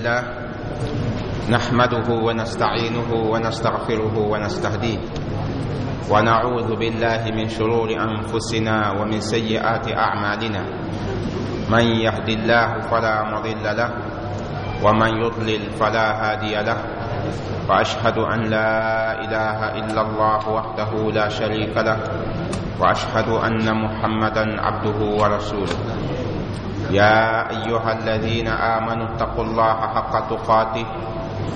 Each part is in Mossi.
لله نحمده ونستعينه ونستغفره ونستهديه، ونعوذ بالله من شرور أنفسنا ومن سيئات أعمالنا. من يهد الله فلا مضل له ومن يضلل فلا هادي له، وأشهد أن لا إله إلا الله وحده لا شريك له، وأشهد أن محمدا عبده ورسوله. يا أيها الذين آمنوا اتقوا الله حق تقاته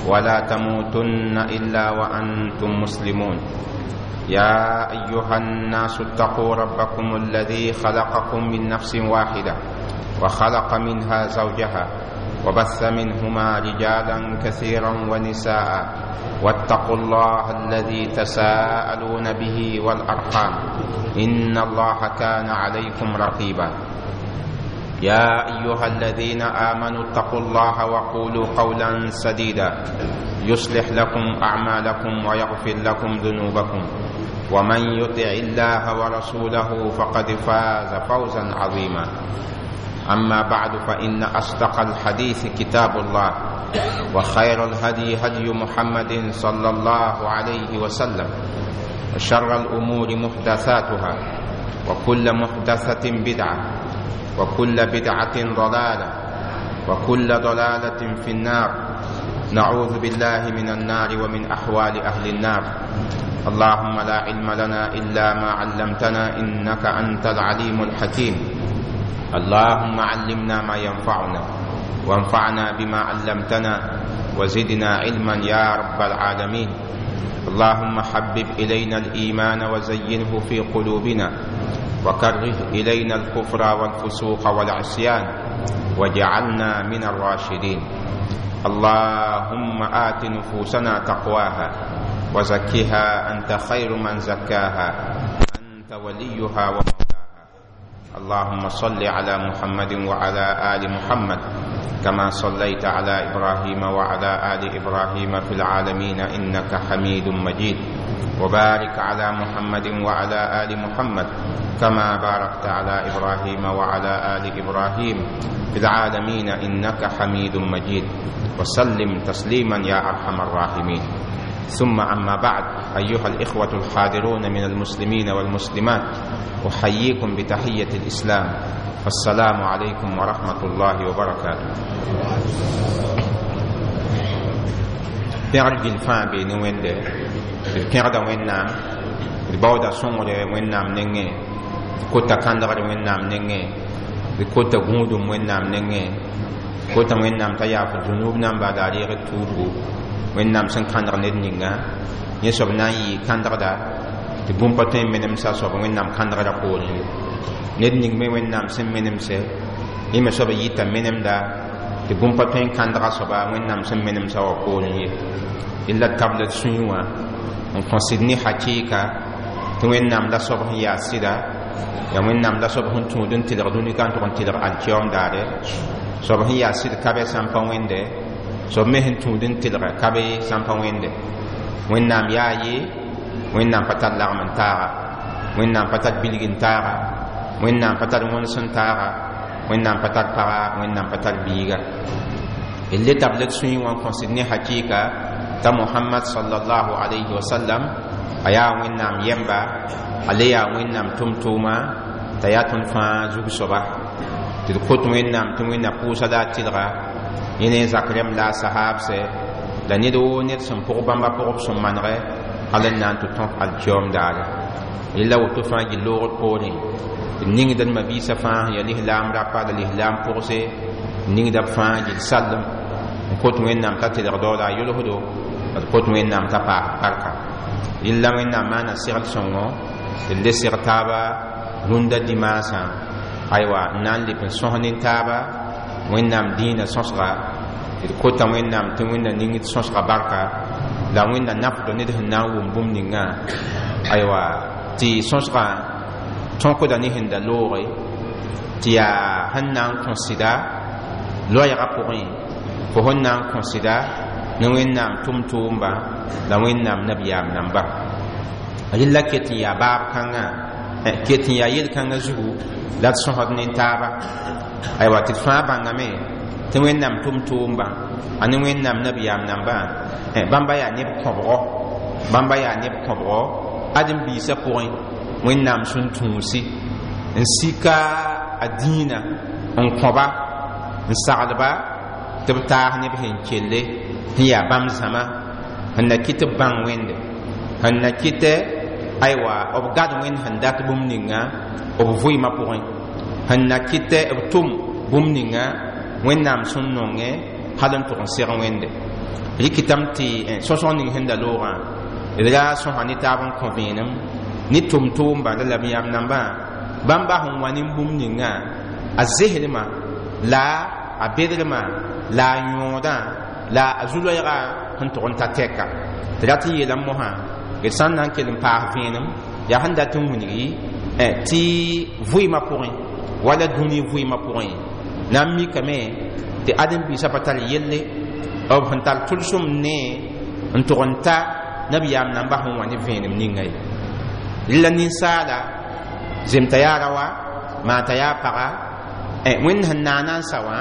ولا تموتن إلا وأنتم مسلمون. يا أيها الناس اتقوا ربكم الذي خلقكم من نفس واحدة وخلق منها زوجها وبث منهما رجالا كثيرا ونساء، واتقوا الله الذي تساءلون به والأرحام إن الله كان عليكم رقيبا. يا أيها الذين آمنوا اتقوا الله وقولوا قولا سديدا يصلح لكم أعمالكم ويغفر لكم ذنوبكم، ومن يطع الله ورسوله فقد فاز فوزا عظيما. أما بعد، فإن أصدق الحديث كتاب الله، وخير الهدي هدي محمد صلى الله عليه وسلم، وشر الأمور محدثاتها، وكل محدثة بدعة، وكل بدعة ضلالة، وكل ضلالة في النار. نعوذ بالله من النار ومن أحوال أهل النار. اللهم لا علم لنا إلا ما علمتنا إنك أنت العليم الحكيم. اللهم علمنا ما ينفعنا، وانفعنا بما علمتنا، وزدنا علما يا رب العالمين. اللهم حبب إلينا الإيمان وزينه في قلوبنا، وكره إلينا الكفر والفسوق والعصيان، واجعلنا من الراشدين. اللهم آت نفوسنا تقواها وزكها أنت خير من زكاها، أنت وليها ومولاها. اللهم صل على محمد وعلى آل محمد كما صليت على إبراهيم وعلى آل إبراهيم في العالمين إنك حميد مجيد، وبارك على محمد وعلى آل محمد كما باركت على إبراهيم وعلى آل إبراهيم في العالمين إنك حميد مجيد، وسلم تسليما يا أرحم الراحمين. ثم أما بعد، أيها الإخوة الحاضرون من المسلمين والمسلمات، أحييكم بتحية الإسلام، فالسلام عليكم ورحمة الله وبركاته. Pẽgr gill fãa bee ne Wẽnde, d pẽgda Wẽnnaam, d baooda sõngre Wẽnnaam nengẽ, d kota kãndgr Wẽnnaam nengẽ, d kota gũudum Wẽnnaam nengẽ, kota Wẽnnaam t'a yaaf zũnub namba la a reeg d tuubgu Wẽnnaam sẽn kãndg ned ninga. Yẽ soab na n yɩ kãndgda tɩ bũmb pa tõe n menemsa soab Wẽnnaam kãndgrã poorẽ ye. Ned ning me Wẽnnaam sẽn menemse, yẽ me soab yita menemda tɩ bũmb pa tõe n kãndga soaba Wẽnnaam sẽn menemsa wã poorẽ ye. Illa tabl d sũyẽ wã n kõ sɩd ne hakɩɩka tɩ Wẽnnaam la soab sẽn yaa sɩda, yaa Wẽnnaam la soab sẽn tũud n tɩlg dũni ka n tʋg n tɩlg alkiyoom daare. Soab sẽn yaa sɩd ka bɛ sã n pa wẽnde, soab me sẽn tũud n tɩlga ka be sã n pa wẽnde. Wẽnnaam yaa ye, Wẽnnaam pa tar lagm n taaga, Wẽnnaam pa tar bilg n taaga, Wẽnnaam pa tar wõns n taaga, Wẽnnaam pa tar paga, Wẽnnaam pa tar biiga. D le tabl d sũyẽ wã n kõ sɩd ne hakɩɩka t'a Mohamad sallallahu alayhi wa sallam a yaa Wẽnnaam yɛmba, a le yaa Wẽnnaam tʋm-tʋʋma, t'a yaa tõnd fãa zug soaba. Tɩ d kot Wẽnnaam tɩ Wẽnna pʋʋsa la a tɩlga yẽ ne zak rẽmb la a sahaabsɛ la ned woo ned sẽn pʋg bãmba pʋgb sẽn manegɛ hal n na n tɩ tõk alkiyoom daare. Rela woto fãa gill loogr poorẽ d ningd d mabiisã fãa sẽn yaa lislaam rapa la lislaam pʋgse, d ningda b fãa gill sallem n kot Wẽnnaam t'a tɩlg dao la a yʋlsdo, d kot Wẽnnaam t'a paas barka. Rɩlla Wẽnnaam maana segl sõngo d le seg taaba rũndã dimaasã, aywa, n na n leb n sõs nin-taaba Wẽnnaam dĩinã sõsga. D kota Wẽnnaam tɩ Wẽnna ning d sõsga barka la Wẽnna nafdo ned sẽn na n wʋm bũmb ningã, aywa, tɩ sõsgã tõkda ne sẽn da looge tɩ yaa sẽn na n kõ sɩda loɛɛgã pʋgẽ, fo sẽn na n kõ sɩda ne Wẽnnaam tʋm-tʋʋmba la Wẽnnaam nabiyaam namba. Rɩlla ket n yaa baab kãngã, ket n yaa yel-kãngã zugu la d sõsd nin-taaba, aywa, tɩ d fãa bãngame Tɩ Wẽnnaam tʋm-tʋʋmba a ne Wẽnnaam nabiyaam nambã, bãmba yaa neb kõbgɔ, bãmba yaa neb kõbgɔ ãdem-biisã pʋgẽ. Wẽnnaam sẽn tũusi n sika a dĩinã n kõba n saglba tɩ b taas neb sẽn kelle sẽn yaa bãmb zãma sẽn na kɩt b bãng Wẽnde, sẽn na kɩtɛ aywa b gad Wẽnd sẽn dat bũmb ninga b vɩɩmã pʋgẽ, sẽn na kɩtɛ b tʋm bũmb ninga Wẽnnaam sẽn nongẽ hal n tʋg n seg Wẽnde. Rɩkɩtame tɩ sõsg ning sẽn da loogã d ra sõsa ne taab n kõ vẽenem ne tʋm-tʋʋmba la nabiyaam nambã bãmba sẽn wa ne bũmb ninga a zeslmã la a bedrmã la a yõodã la a zu-loɛɛga sẽn tʋg n ta tɛka. Tɩ rat n yeelame mosã d sã n na n kell n paas vẽenem yaa sẽn dat n wilgi tɩ vɩɩmã pʋgẽ wala dũni vɩɩmã pʋgẽ na n mikame tɩ ãdem-biisã pa tar yelle b sẽn tar tʋlsem ne n tʋg n ta nabiyaam nambã sẽn wa ne vẽenem ninga ye. Rɩla ninsaala zemta yaa raowa maa t'a yaa paga, Wẽnd sẽn naana n sa wã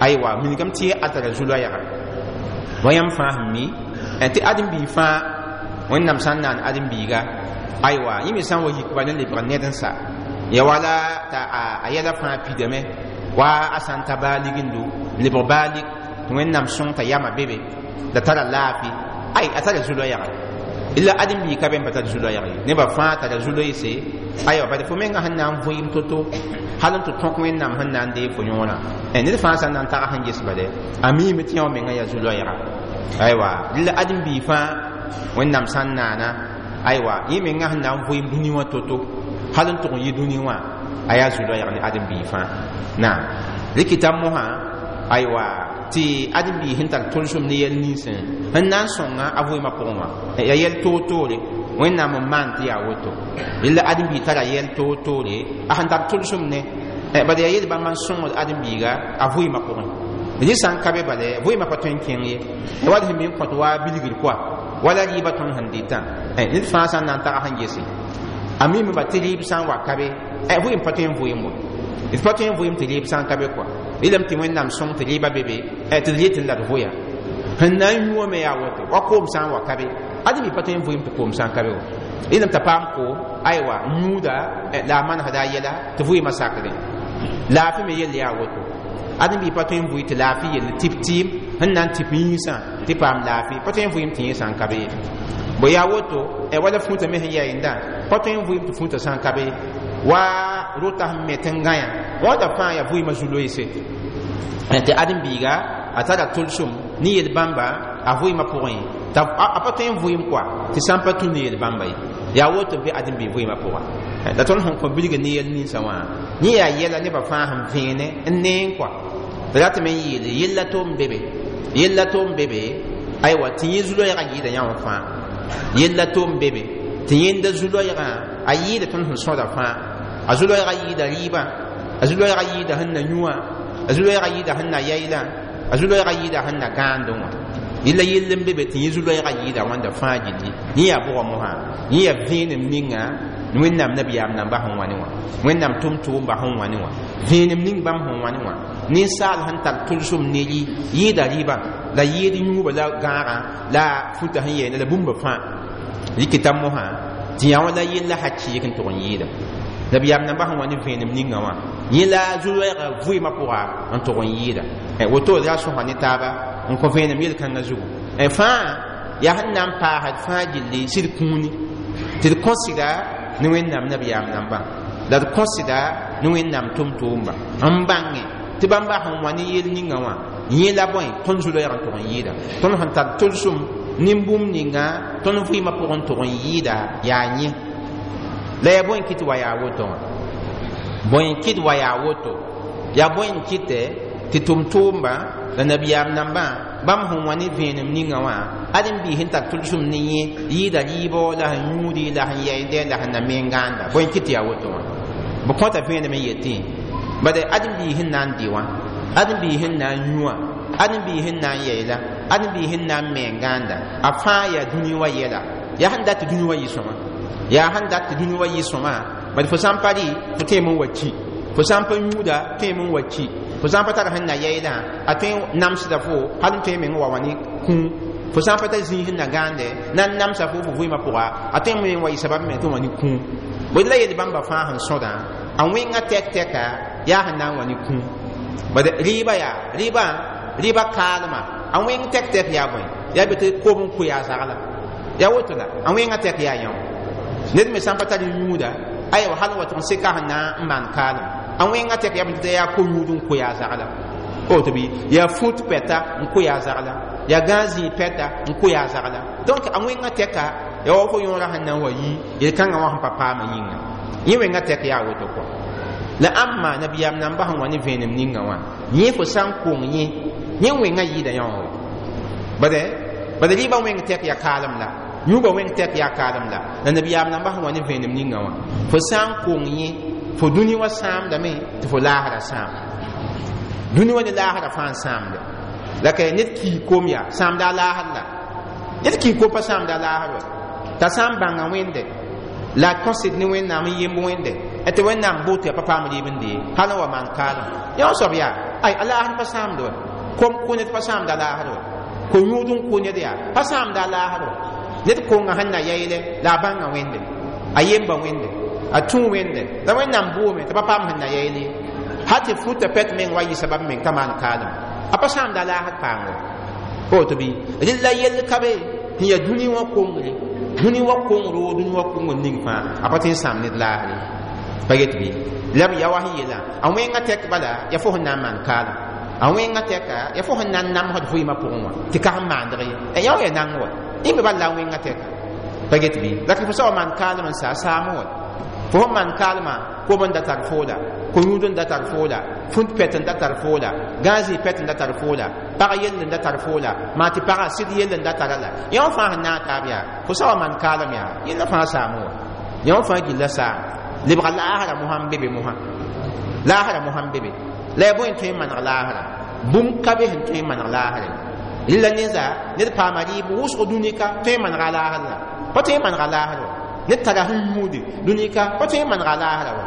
aywa wilgame tɩ a tara zu-loɛɛga wa yãmb fãa sẽn mi tɩ ãdem-biig fãa Wẽnnaam sã n naan ãdem-biiga aywa yẽ me sã n wa yik bala n lebg ned n sa ya wala t'a a yɛla fãa pidame wa a sã n ta baa ligendu lebg baa lik tɩ Wẽnnaam sõng t'a yama be be la tara laafɩ ay a tara zu-loɛɛga. Illa ãdem-biig ka be n pa tar zu-loɛɛg ye, nebã fãa tara zu-loeese aywa bad fo menga sẽn na n vɩɩm to-to hal n tɩ tõk Wẽnnaam sẽn na n deeg fo yõorã. Ned fãa sã n na n tag sẽn ges bale a miime tɩ yã wã menga yaa zu-loɛɛga aywa. Rɩla ãdem-biig fãa Wẽnnaam sã n naana aywa yẽ menga sẽn na n vɩɩm dũni wã to-to hal n tʋg n yɩ dũni wã a yaa zu-loɛɛg ne ãdem-biig fãa. Naam, rɩkɩta mosã aywa tɩ ãdem-biig sẽn tar tʋlsem ne yɛl ninsẽ sẽn na n sõnga a vɩɩmã pʋgẽ wã yaa yɛl toor-toore Wẽnnaam n maan tɩ yaa woto. Rela ãdem-biig tara yɛl toor-toore a sẽn tar tʋlsem ne bala yaa yel bãmb n sõngd ãdem-biiga a vɩɩmã pʋgẽ. Rẽ sã n ka be bala vɩɩmã pa tõe n kẽng ye wala sẽn me n kõt wa bilgr koa wala rɩɩbã tõnd sẽn dɩtã ned fãa sã n na n tag sẽn gese a mime ba tɩ rɩɩb sã n wa ka be vɩɩm pa tõe n vɩɩm wa d pa tõe n vɩɩm tɩ rɩɩb sã n ka be koa. Rɩlame tɩ Wẽnnaam sõng tɩ rɩɩbã be be tɩ d yetɩ la d vʋya sẽn na n yũame yaa woto wa koom sã n wa ka be ãdem pa tõe n vɩɩm tɩ koom sã n ka be wa. Rẽlame t'a paam koom aywa yũuda la a manesda a yɛla tɩ vɩɩmã sakdẽ. Laafɩ me yell yaa woto ãdem-biig pa tõe n vʋɩ tɩ laafɩ yell tɩp tɩɩm sẽn na n tɩp yĩnsã tɩ paam laafɩ pa tõe n vɩɩm tɩ yẽ sã n ka be ye. Bo yaa woto wala fũutã me sẽn yaa yẽnda pa tõe n vɩɩm tɩ fũutã sã n ka be wa rota sẽn me tɩ n gãyã wãda fãa yaa vɩɩmã zu-loeese tɩ ãdem-biiga a tara tʋlsem ne yel-bãmba a vɩɩmã pʋgẽ t'a a pa tõe n vɩɩm koa tɩ sã n pa tũ ne yel-bãmba ye. Yaa woto be ãdem-biig vɩɩmã pʋga la tõnd sẽn kõ bilg ne yɛl ninsã wã yẽ yaa yɛla nebã fãa sẽn vẽene n neeng koa tɩ ratame n yeele yella tom be be yella tom be be aywa tɩ yẽ zu-loɛɛgã yɩɩda yã wã fãa yella tom be be tɩ yẽnda zu-loɛɛgã a yɩɩda tõnd sẽn sõda fãa a zu-loɛɛgã yɩɩda rɩɩbã a zu-loɛɛgã yɩɩda sẽn na yũwã a zu-loɛɛgã yɩɩda sẽn na yaylã a zu-loɛɛgã yɩɩda sẽn na gãandẽ wã. Yella yell n be be tɩ yẽ zu-loɛɛgã yɩɩda wãnda fãa gilli yẽ yaa bʋga mosã yẽ yaa vẽenem ninga Wẽnnaam nabiyaam nambã sẽn wa ne wã Wẽnnaam tʋm-tʋʋmba sẽn wa ne wã vẽenem ning bãmb sẽn wa ne wã ninsaal sẽn tar tʋlsem ne rɩ yɩɩda rɩɩbã la yɩɩd yũubã la gãagã la futa sẽn yɛɛna la bũmba fãa rɩkɩta mosã tɩ yã wã la yella hakɩɩk n tʋg n yɩɩda nabiyaam nambã sẽn wa ne vẽenem ninga wã yẽ la zu-loɛɛgã vɩɩmã pʋga n tʋg n yɩɩda woto d ra sõsa ne taaba n kõ vẽenem yel-kãngã zugu fãa yaa sẽn na n paasd fãa gilli sɩd kũuni tɩ d kõsda ne Wẽnnaam nabiyaam nambã la d kõsda ne Wẽnnaam tʋm-tʋʋmba n bãnge tɩ bãmba sẽn wa ne yel ninga wã yẽ la bõe tõnd zu-loɛɛg n tʋg n yɩɩda tõnd sẽn tar tʋlsem nin-bũmb ninga tõnd vɩɩmã pʋgẽ tʋg n yɩɩda yaa yẽ la yaa bõe n kɩt wa yaa woto wã bõe n kɩt wa yaa woto yaa bõe n kɩtɛ tɩ tʋm-tʋʋmba la nabiyaam nambã bãmb sẽn wa ne vẽenem ninga wã ãdem-biis sẽn tar tʋlsem ne yẽ yɩɩda rɩɩbɔ la sẽn yũudi la sẽn yɛɛndɛ la sẽn na meng gãanda bõe n kɩt tɩ yaa woto wã b kõta vẽenem n yetẽ bad ãdem-biis sẽn na n dɩ wã ãdem-biis sẽn na n yũ wã ãdem-biis sẽn na n yɛɛla ãdem-biis sẽn na n meng gãanda a fãa yaa dũni wã yɛla yaa sẽn dat tɩ dũni wã yɩ sõma yaa sẽn dat tɩ dũni wã yɩ sõma bad fo sã n pa rɩ fo tõeme n wa ki fo sã n pa yũuda tõeme n wa ki Fo sã n pa tar sẽn na yaeedã, a tõe n namsda fo hal n tõe meng wa wã ne kũum. Fo sã n pa tar zĩig sẽn na gãande na n namsa fo fo vɩɩmã pʋga, a tõe n meng wa yɩ sabab me tɩ wã ne kũum. Bõe la yel bãmba fãa sẽn sõdã, a wẽnga tɛk tɛka yaa sẽn na n wa ne kũum. Bad rɩɩbã yaa rɩɩbã, rɩɩbã kaalmã, a wẽng tɛk tɛk yaa bõe? Yaa be tɩ koom n koe a zagla, yaa woto la a wẽnga tɛk yaa yão. Ned me sã n pa tar yũuda, aywa, hal n wa tʋg n seka sẽn na n maan kaalem, a wẽnga tɛk yaa tɩ yaa ko-yũud n koe a zagla. Woto bɩ yaa fut pɛta n koe a zagla, yaa gãag zĩig pɛta n koe a zagla. Donc a wẽnga tɛka yaa wa fo yõora sẽn na n wa yi yel-kãngã wã sẽn pa paamã yĩnga. Yẽ wẽnga tɛk yaa woto kɔ. La ãmba nabiyaam namba sẽn wa ne vẽenem ninga wã, yẽ fo sã n kong yẽ, yẽ wẽnga yɩɩda yão. Bade bade rɩɩbã wẽng tɛk yaa kaalem la yũubã wẽng tɛk yaa kaalem la la nabiyaam namba sẽn wa ne vẽenem ninga wã, fo sã n kong yẽ, fo dũni wã sãamdame tɩ fo laasra sãam. Dũni wã ne laasra fãa n sãamde. La ka ned kii kom yaa sãamda a laasr la ned kii kom pa sãamda a laasr wa t'a sã n bãnga Wẽnde la a kõsd ne Wẽnnaam n yemb Wẽnde tɩ Wẽnnaam boot yaa pa paam rɩɩb n dee hal n wa maan kaalem yã soab yaa ay a laasr pa sãamde wa. Kom kʋ ned pa sãamda a laasr wa, ko-yũud n kʋ ned yaa pa sãamda a laasr wa. Ned konga sẽn na yaeele la a bãnga Wẽnde, a yemba Wẽnde, a tũ Wẽnde la Wẽnnaam boome tɩ pa paam sẽn na yaeele, hal tɩ futa pɛt meng wa yɩ sabab meng t'a maan kaalem, a pa sãamda a laasr paango. Woto bɩ rel la yell ka be sẽn yaa dũni wã kongre, dũni wã kongro, dũni wã kongr ning fãa a pa tõe n sãam ned laasre. Pa get bɩ la b ya wa sẽn yeelã, a wẽnga tɛk bala yaa fo sẽn na n maan kaalem, a wẽnga tɛka yaa fo sẽn na n namsd vɩɩmã pʋgẽ wã tɩ ka sẽn maandg ye yã wã yaa nang wa yẽ me bal la a wẽnga tɛka. Pa get bɩ la fo sã wa maan kaalem n sa a saam wa, fo sẽn maan kaalmã kom n da tar foola, ko-yũud n da tar foola, fũnt pɛt n da tar foola, gãag zĩig pɛt n da tar foola, pag yell n da tar foola, maa tɩ pagã sɩd yell n da tara la yã wã fãa sẽn na n taab yaa fo sã wa maan kaalem yaa yẽnda fãa saam wa, yã wã fãa gilla saam lebga laasra mosã n be be mosã, laasra mosã n be be. La yaa bõe n tõe n maneg laasra? Bũmb ka be sẽn tõe n maneg laasra. Rɩla ninsa ned paama rɩɩb wʋsg dũnika tõe n manega laasr la pa tõe n manega laasr wa. Ned tara sẽn yũudi dũnika pa tõe n manega laasra wa.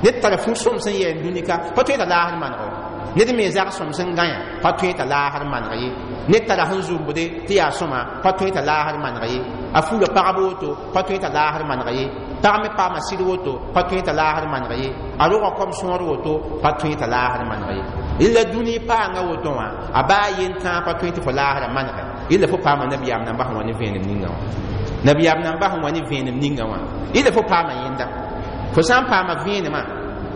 Ned tara fu sõm sẽn yɛɛn dũnika pa tõe t'a laasr maneg wa. Ned me zag sõm sẽn gãyã pa tõe t'a laasr maneg ye. Ned tara sẽn zũmbde tɩ yaa sõma pa tõe t'a laasr maneg ye. A fuura pagb woto pa tõe t'a laasr maneg ye. Pag me paama sɩd woto pa tõe t'a laasr maneg ye. A rogã kom sõor woto pa tõe t'a laasr maneg ye. Rɩla dũni paanga woto wã a baa yen-tãag pa tõe tɩ fo laasrã manege. Rɩla fo paama nabiyaam namba sẽn wa ne vẽenem ninga wã, nabiyaam namba sẽn wa ne vẽenem ninga wã, rɩla fo paama yẽnda. Fo sã n paama vẽenemã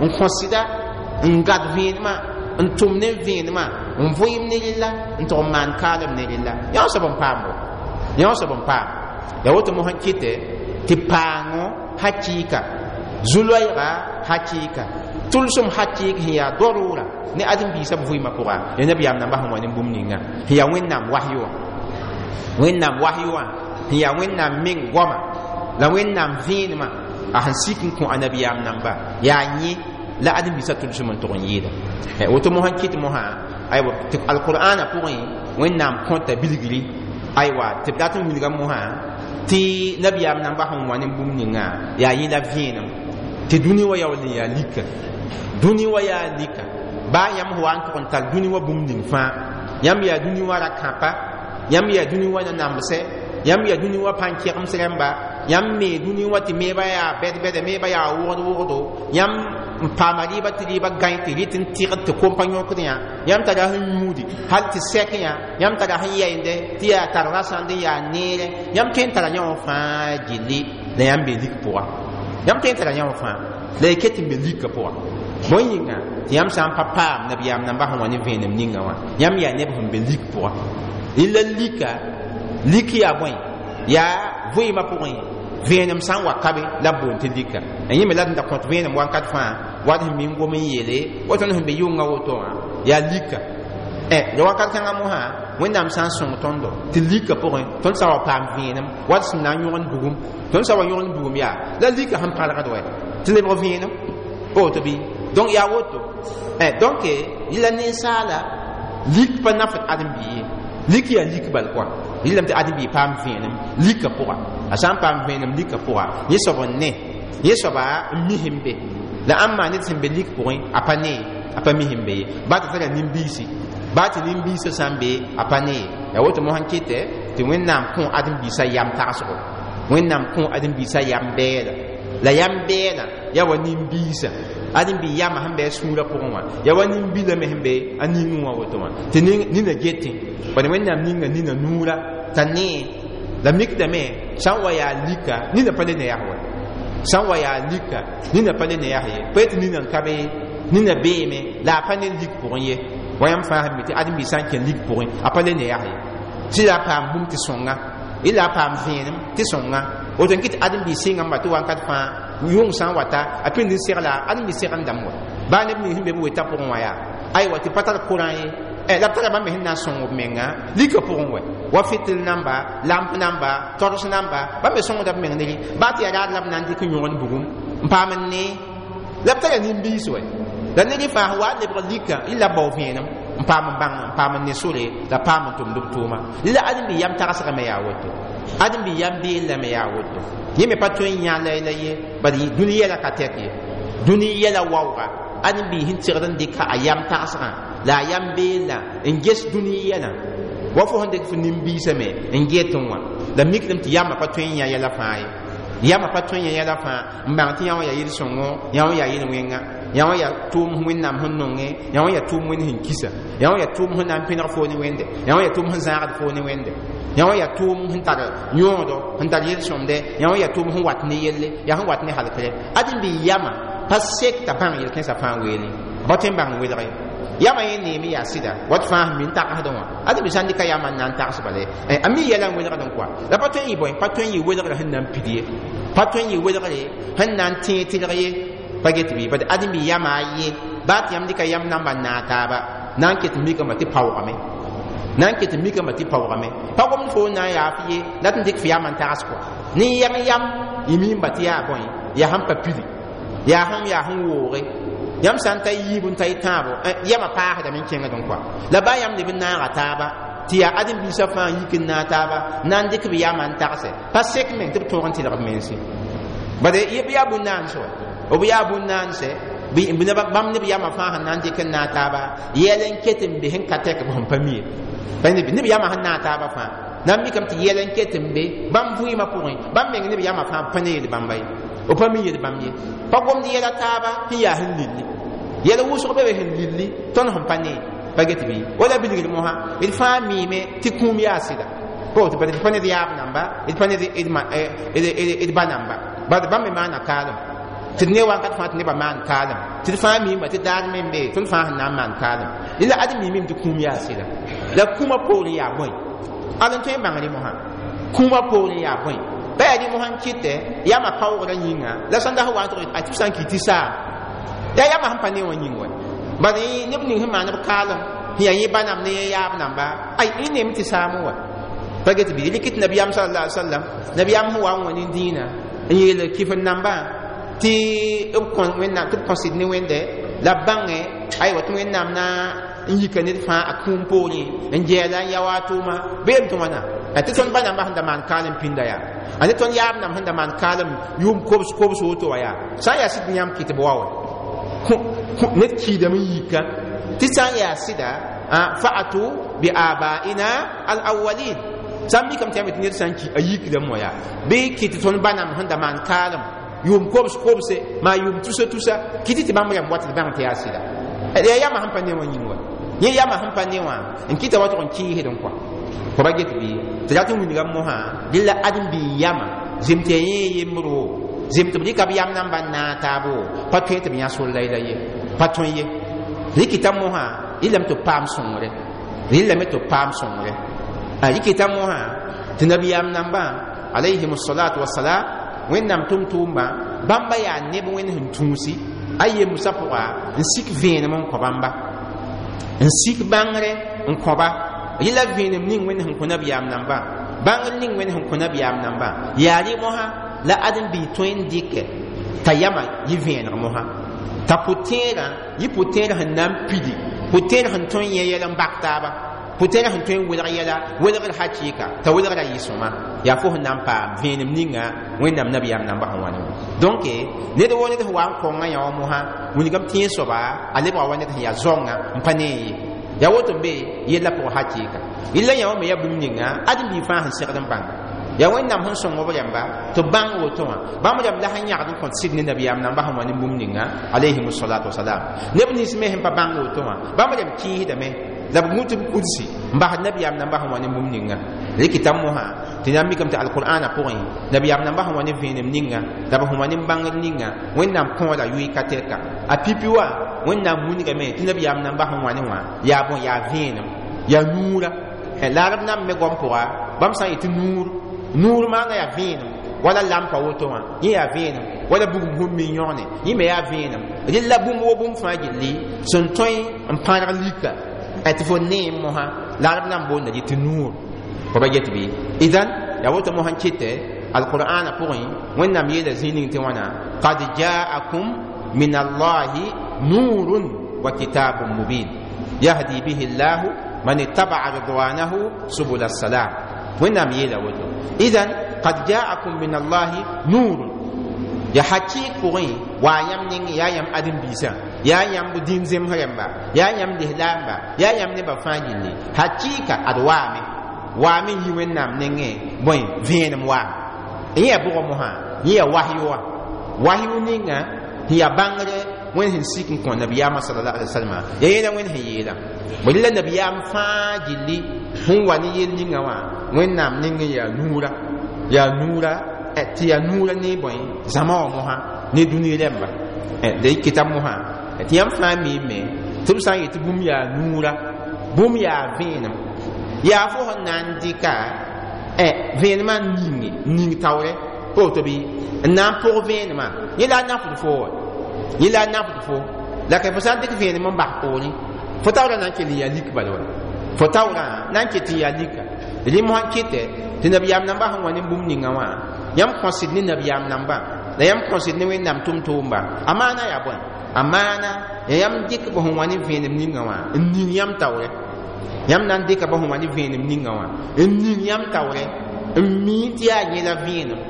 n kõsda n gad vẽenemã n tʋm ne vẽenemã n vʋɩɩm ne rella n tʋg n maan kaalem ne rella, yã soab n paam bo, yã soab n paam. Yaa woto mosã kɩtɛ tɩ paango hakɩɩka, zu-loɛɛga hakɩɩka, tʋlsem hakɩɩk sẽn yaa dorʋʋra ne ãdem-biisã b vɩɩmã pʋga, yaa nabiyaam namba sẽn wa ne bũmb ninga sẽn yaa Wẽnnaam wasyo wã, Wẽnnaam wasyo wã sẽn yaa Wẽnnaam meng goama la Wẽnnaam vẽenemã a sẽn sik n kõ a nabiyaam namba yaa yẽ la ãdem-biisã tʋlsem n tʋg n yɩɩda. Woto mosã kɩt mosã, aywa, tɩ alqur'ana pʋgẽ Wẽnnaam kõta bilgri, aywa, tɩ b dat n wilga mosã tɩ nabiyaam namba sẽn wa ne bũmb ninga yaa yẽ la vẽenem tɩ dũni wã yaool n yaa lika, dũni wã yaa lika. Baa yãmb sẽn wa n tʋg n tar dũni wã bũmb ning fãa, yãmb yaa dũni wã ra-kãpa, yãmb yaa dũni wã nanamsɛ, yãmb yaa dũni wã pãn-kɛgems rãmba, yãmb me dũni wã tɩ meebã yaa bɛd-bɛda, meebã yaa wogd-wogdo, yãmb n paama rɩɩbã tɩ rɩɩbã gãe tɩ rɩt n tɩgd tɩ kom pa yõkd yã, yãmb tara sẽn yũudi hal tɩ sɛk yã, yãmb tara sẽn yɛɛnde tɩ yaa tar rasãnd n yaa neere, yãmb tõe n tara yã wã fãa gilli la yãmb be lik pʋga, yãmb tõe n tara yã wã fãa la y ket n be lika pʋga. Bõe yĩnga tɩ yãmb sã n pa paam nabiyaam namba sẽn wa ne vẽenem ninga wã, yãmb yaa neb sẽn be lik pʋga. Rɩla lika, lik yaa bõe? Yaa vɩɩmã pʋgẽ vẽenem sã n wa ka be la b boond tɩ lika. Yẽ me la d da kõt vẽenem wakat fãa wat sẽn ming gom n yeele woto sẽn be yʋnga woto wã yaa lika. La wakat kãngã mosã Wẽnnaam sã n sõng tõndo tɩ lika pʋgẽ tõnd sã wa paam vẽenem wat sẽn na n yõgend bugum, tõnd sã wa yõgend bugum yaa la lika sẽn pãlgd wɛ tɩ lebg vẽenem woto bɩ. Donc yaa woto. Donc yẽla ninsaala lik pa nafd ãdem-bii ye, lik yaa lik bal kɔa rɩlame tɩ ãdem-bii paam vẽenem lika pʋga. A sã n paam vẽenem lika pʋga, yẽ soab n ne, yẽ soaba n mi sẽn be la ãmb maa ned sẽn be lik pʋgẽ a pa nee. a pa mi sẽn be ye baa tɩ tara nin-biisi baa tɩ nin-biisã sã n be a pa ne ye yaa woto mosã n kɩtɛ tɩ Wẽnnaam kõ ãdem-biisã yam tagsgo Wẽnnaam kõ ãdem-biisã yam bɛɛla la yam bɛɛla yaa wa nin-biisã ãdem-bi yamã sẽn be a sũurã pʋgẽ wã yaa wa nin-bilã me sẽn be a ningẽ wã woto wã tɩ nina getẽ bad Wẽnnaam ninga nina nuurã t'a nee la mikdame sã n wa yaa lika nina pa le ne yaa wa sã n wa yaa lika nina pa le ne yaa ye pa tɩ nina n ka be nina beeme la a pa ne lik pʋgẽ ye wa yãmb fãa sẽn mi tɩ ãdem-bi sã n kẽ lik pʋgẽ a pa le ne yaa ye tɩ la a paam bũmb tɩ sõnga y la a paam vẽenem tɩ sõnga woto n kɩ tɩ ãdem-bi sɩngame tɩ wakat fãa yʋng sã n wata a pĩnd n segla ãdem-bi segndame wa baa neb nins sẽn be b wetã pʋgẽ wã yaa aywa tɩ pa tar kʋrã ye la b tara bãmb me sẽn na n sõng b menga lika pʋgẽ wa fitil namba lamp namba tors namba bãmb me sõngda b meng ne baa tɩ yaa raad la b na n dɩk n yõgd bugum n paam n nee la b tara nin-biis wɛ la ned fãa sẽn wa n lebg lika y la bao vẽenem n paam n bãng n paam n ne sore la paam n tʋmd b tʋʋma la ãdem-bi yam tagsgame yaa woto ãdem-bi yam beellame yaa woto yẽ me pa tõe n yã la ye bad dũni yɛla ka tɛk ye dũni yɛla waooga ãdem-bi sẽn segd n dɩka a yam tagsgã la a yam beella n ges dũni yɛlã wa fo sẽn dɩk f nin-biisame n get n wã la mikdame tɩ yamã pa tõe n yã yɛla fãa ye yamã pa tõe n yã yɛla fãa n bãng tɩ yã wã yaa yel-sõngo yã wã yaa yel-wẽnga yã wã yaa tʋʋm Wẽnnaam sẽn nonge yã wã yaa tʋʋm Wẽnd sẽn kisa yã wã yaa tʋʋm sẽn na n pẽneg foo ne Wẽnde yã wã yaa tʋʋm sẽn zãagd foo ne Wẽnde yã wã yaa tʋʋm sẽn tar yõodo sẽn tar yel-sõmde yã wã yaa tʋʋm sẽn wat ne yelle yaa sẽn wat ne halkre ãdem-bi yamã pa sek t'a bãng yel-kẽnsã fãa weele pa tõe n bãng welge yamã yẽ neeme yaa sɩda wat fãa sẽn mi n tagsdẽ wã ãdem-bi sã n dɩka yamã n na n tags bala a mi yɛla n welgd n koa la pa tõe n yɩ bõe pa tõe n yɩ welgrã sẽn na n pid ye pa tõe n yɩ welgre sẽn na n tẽeg tɩlg ye pa get bɩ bad ãdem-bi yamã a ye baa tɩ yãmb dɩka yam namba n naag taaba na n ket n mikame tɩ paoogame na n ket n mikame tɩ paoogame pa gomd fo n na n yaa f ye la tɩ n dɩk f yam n tags kɔa ne yɛng yam y miimba tɩ yaa bõe yaa sẽn pa pidi yaa sẽn wooge yãmb sã n ta yiib n ta y tãabo yamã paasdame n kẽngd n kɔa la baa yãmb leb n naaga taaba tɩ yaa ãdem-biisã fãa yik n naag taaba na n dɩk b yamã n tagse pa sek meng tɩ b tõog n tɩlg b mense bad b yaa bũn-naanse wa b yaa bũn-naanse bãmb neb yamã fãa sẽn na n dɩk n naag taaba yɛl n ket n be sẽn ka tɛk b sẽn pa mi ye neb yamã sẽn naag taaba fãa na n mikame tɩ yɛl n ket n be bãmb vɩɩmã pʋgẽ bãmb meng neb yamã fãa pa ne yel bãmba ye b pa mi yel bãmb ye pa gomd yɛla taaba sẽn yaa sẽn lilli yɛl wʋsg be be sẽn lilli tõnd sẽn pa ne pa get bɩ wala bilgd mosã d fãa miime tɩ kũum yaa sɩda d pa ned yaab namba d pa ned d ba namba bad bãmb me maana kaalem tɩ d ne wakat fãa tɩ nebã maan kaalem tɩ d fãa miimba tɩ daar me n be tõnd fãa sẽn na n maan kaalem la ad miimime tɩ kũum yaa sɩda la kũumã poorẽ yaa bõe ad n tõe n bãng rẽ mosã kũumã poorẽ yaa bõe pa yaa rẽ mosã n kɩtɛ yamã paoogrã yĩnga la sãn das wa n tʋg a tɩ b sã n ki tɩ saam yaa yamã sẽn pa ne wã yĩng wa bad neb ning sẽn maan b kaalem sẽn yaa yẽ ba namb ne yẽ yaab namba ay y neem tɩ saam wa pa get bɩ rɩk tɩ nabiyaam sallallahu alaihi wasallam nabiyaam sẽn wa n wã nin-dĩinã n yeel kɩf n nambã tɩ b kõ Wẽnnaam tɩ b kõ sɩd ne Wẽnde la b bãngẽ aywa tɩ Wẽnnaam na n yika ned fãa a kũum poorẽ n gɛɛla n ya wa a tʋʋma beem tɩ wãna tɩ tõnd ba nambã sẽn da maan kaalem pĩnda yaa a ne tõnd yaab namb sẽn da maan kaalem yʋʋm kobs kobs woto wã yaa sã n yaa sɩd yãmb kɩ tɩ b wa wa ned kiidame n yika tɩ sã n yaa sɩda fa'atu bi abaina al awalin sã n mikame tɩ yãmb tɩ ned sã n ki a yikdame wã yaa bɩ kɩ tɩ tõnd ba namb sẽn da maan kaalem yʋʋm kobs kobse maa yʋʋm tusa tusa kɩ tɩ tɩ bãmb rãmb wat tɩ bãng tɩ yaa sɩda yaa yamã sẽn pa ne wã yĩng wa yẽ yamã sẽn pa ne wã n kɩta wa tʋg n kɩɩsd n kɔa fo pa get bɩ tɩ rat n wilgame mosã dẽla ãdem-bi yamã zem tɩ yaa yẽ yembro zem tɩ b rɩka b yam namba n naag taabo pa tõe tɩ b yã sol la ye pa tõe ye rɩkɩta mosã rɩlame tɩ b paam sõngre rɩlame tɩ b paam sõngre rɩkɩta mosã tɩ nabiyaam nambã alayhim salatu wasalam Wẽnnaam tʋm-tʋʋmbã bãmba yaa neb Wẽnd sẽn tũusi a yemsã pʋga n sik vẽenem n kõ bãmba n sik bãngre n kõba rɩla vẽenem ning Wẽnd sẽn kõ nabiyaam nambã bãngr ning Wẽnd sẽn kõ nabiyaam nambã yaa rɩ mosã la ãdem-bi tõe n dɩkɛ t'a yamã yɩ vẽeneg mosã t'a pʋ-tẽerã yɩ pʋ-tẽer sẽn na n pidi pʋ-tẽer sẽn tõe n yẽ yɛl n bak taaba Pʋtẽerã sẽn tõe n welg yɛla welgr hakɩɩka t'a welgra yɩ sõma yaa fo sẽn na n paam vẽenem ninga Wẽnnaam nabiyaam namba sẽn wa ne wã. Donc ned wo ned sẽn wa n kõnga yã wã mosã wilgame tɩ yẽ soaba a lebga wa ned sẽn yaa zaongã n pa ne ye. Yaa woto n be yella pʋgẽ hakɩɩka yella yã wã me yaa bũmb ninga ãdem-biig fãa sẽn segd n bãnga yaa Wẽnnaam sẽn sõng b rãmba tɩ b bãng woto wã. Bãmb rãmb la sẽn yãgd n kõt sɩd ne nabiyaam namba sẽn wa ne bũmb ninga alayhim salatu wasalam. Neb nins me sẽn pa bãng woto wã bãmb rãmb kɩɩsdame la b gũ tɩ b kudsi n basd nabiyaam namba sẽn wa ne bũmb ninga. Rɩkɩta mosã tɩ na n mikame tɩ alqur'ana pʋgẽ nabiyaam namba sẽn wa ne vẽenem ninga la b sẽn wa ne bãngr ninga Wẽnnaam kõoda yʋɩ ka tɛka a pipi wa Wẽnnaam wilgame tɩ nabiyaam namba sẽn wa ne wã yaa bõe yaa vẽenem yaa nuura. La arab nam me goam pʋga bãmb sã n yetɩ nuur nuur maana yaa vẽenem wala lampa woto wã yẽ yaa vẽenem wala bugum sẽn mi yõgne yẽ me yaa vẽenem rella bũmb wo bũmb fãa gilli sẽn tõe n pãrg lika tɩ fo neem mosã la arab nan boonda rɩ tɩ nuur fo ba get bɩ. Idan yaa woto mosã n kɩtɛ alqur'ana pʋgẽ Wẽnnaam yeela zĩig ning tɩ wãna qad jaakum min allahi nurun wa kitabun mubin yahdi bihi llahu man ittaba'a ridwanahu subula salam. Wẽnnaam yeela woto idan qad jaakum min allahi nurun ya hakɩɩk pʋgẽ waa yãmb ning yaa yãmb ãdem-biisã yaa yãmb dĩin zemsg rãmba yaa yãmb lislaamba yaa yãmb nebã fãa gilli hakɩɩka ad waame waame n yi Wẽnnaam nengẽ bõe vẽenem waame yẽ yaa bʋgã mosã yẽ yaa wahyu wã wahyu ninga sẽn yaa bãngre Wẽnd sẽn sik n kõ nabiyaamã sallallahu alaihi wasallam yaa yẽla Wẽnd sẽn yeelã bõ la nabiyaam fãa gilli sẽn wa ne yel ninga wã Wẽnnaam nengẽ yaa nuura yaa nuura tɩ yaa nuura ne bõe zãma wã mosã ne dũni rãmba la y kɩta mosã tɩ yãmb fãa miime tɩ b sã n yetɩ bũmb yaa nuura bũmb yaa vẽenem yaa fo sẽn na n dɩka vẽenemã n ninge n ning taoorɛ pa woto bɩ n na n pʋg vẽenemã yẽ la a nafd fo wa yẽ la a nafd fo la ka fo sã n dɩk vẽenem n bas poorẽ fo taoorã na n kell n yaa lik bala wa fo taoorã na n ket n yaa lika rẽ mosã n kɩtɛ tɩ nabiyaam nambã sẽn wa ne bũmb ninga wã yãmb kõsd ne nabiyaam nambã la yãmb kõsd ne Wẽnnaam tʋm-tʋʋmba a maana yaa bõe a maana ya yãmb dɩk b sẽn wa ne vẽenem ninga wã n ning yãmb taoorɛ yãmb na n dɩka b sẽn wa ne vẽenem ninga wã n ning yãmb taoorɛ n mii tɩ yaa yẽla vẽenem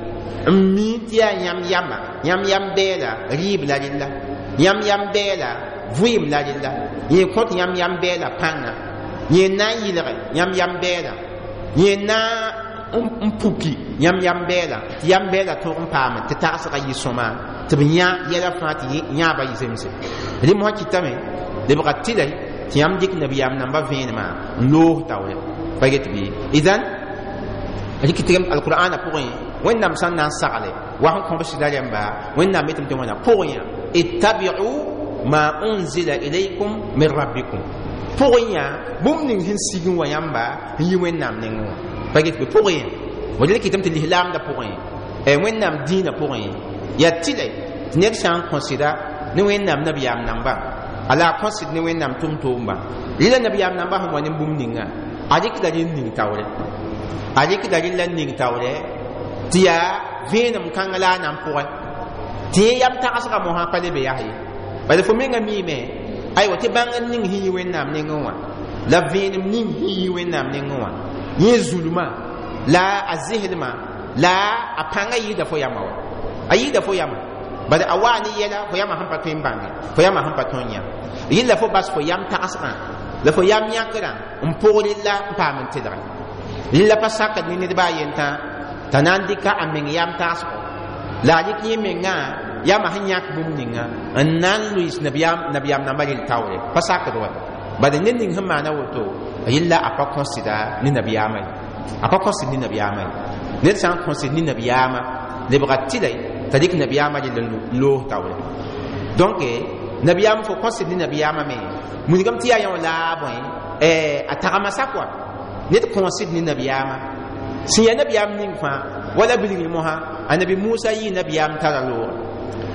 n mii tɩ yaa yãmb yama yãmb yam bɛɛla rɩɩb la rella yãmb yam bɛɛla vɩɩm la rella yẽ kõt yãmb yam bɛɛla pãnga yẽ na n yɩlge yãmb yam bɛɛla yẽ na n puki yãmb yam bɛɛla tɩ yam bɛɛla tõog n paame tɩ tagsga yɩ sõma tɩ b yã yɛla fãa tɩ yãaba yɩ zemse rẽ mosã kɩtame lebga tɩlɛ tɩ yãmb dɩk nabiyaam namba vẽenemã n loog taoore pa get bɩ. Idan rɩk tɩ alqur'ana pʋgẽ Wẽnnaam sã n na n sagle wa sẽn kõ b sɩda rãmba Wẽnnaam yetame tɩ wãna pʋgẽ yã ittabi'u ma unzila ilaykum min rabbikum pʋgẽ yã bũmb ning sẽn sig n wa yãmba n yi Wẽnnaam nengẽ wã pa get bɩ pʋgẽ yã wa kɩtame tɩ lislaamdã pʋgẽ Wẽnnaam dĩinã pʋgẽ yaa tɩlɛ tɩ ned sã n kõsɩda ne Wẽnnaam nabiyaam namba a la a kõsd ne Wẽnnaam tʋm-tʋʋmba rɩla nabiyaam namba sẽn wa ne bũmb ninga a rɩkda rɩ n ning taoorɛ a rɩkda rɩlla n ning taoorɛ tɩ yaa vẽenem kãng la a na n pʋgɛ tɩ yẽ yam tagsga mosã pa le be yaa ye bala fo menga miime aywa tɩ bãngr ning sẽn yi Wẽnnaam nengẽ wã la vẽenem ning sẽn yi Wẽnnaam nengẽ wã yẽ zulma la a zɩslmã la a pãngã yɩɩda fo yama wa a yɩɩda fo yama bala a waa ne yɛla fo yama sẽn pa tõe n bãnge fo yama sẽn pa tõe n yã yɩlla fo bas fo yam tagsgã la fo yam yãkrã n pʋg rella n paam n tɩlge rella pa sakd ne ned baa yentã t'a na n dɩka a meng yam tagsgo la a rɩk yẽ mengã yama sẽn yãk bũmb ninga n na n loɩs nabiyaam nambã rel taoore pa sakd wa bala ned ning sẽn maana woto yella a pa kõsda ne nabiyaamã ye a pa kõsd ne nabiyaamã ye ned sã n kõsd ne nabiyaamã lebga tɩlɛ t'a dɩk nabiyaamã rel n loos taoore. Donc nabiyaam fo kõsd ne nabiyaamã me wilgame tɩ yaa yã wã la a bõe a tagma sak wa ned kõsd ne nabiyaamã sẽn yaa nabiyaam ning fãa wala bilgr mosã anabi Musa yɩ nabiyaam tara loogre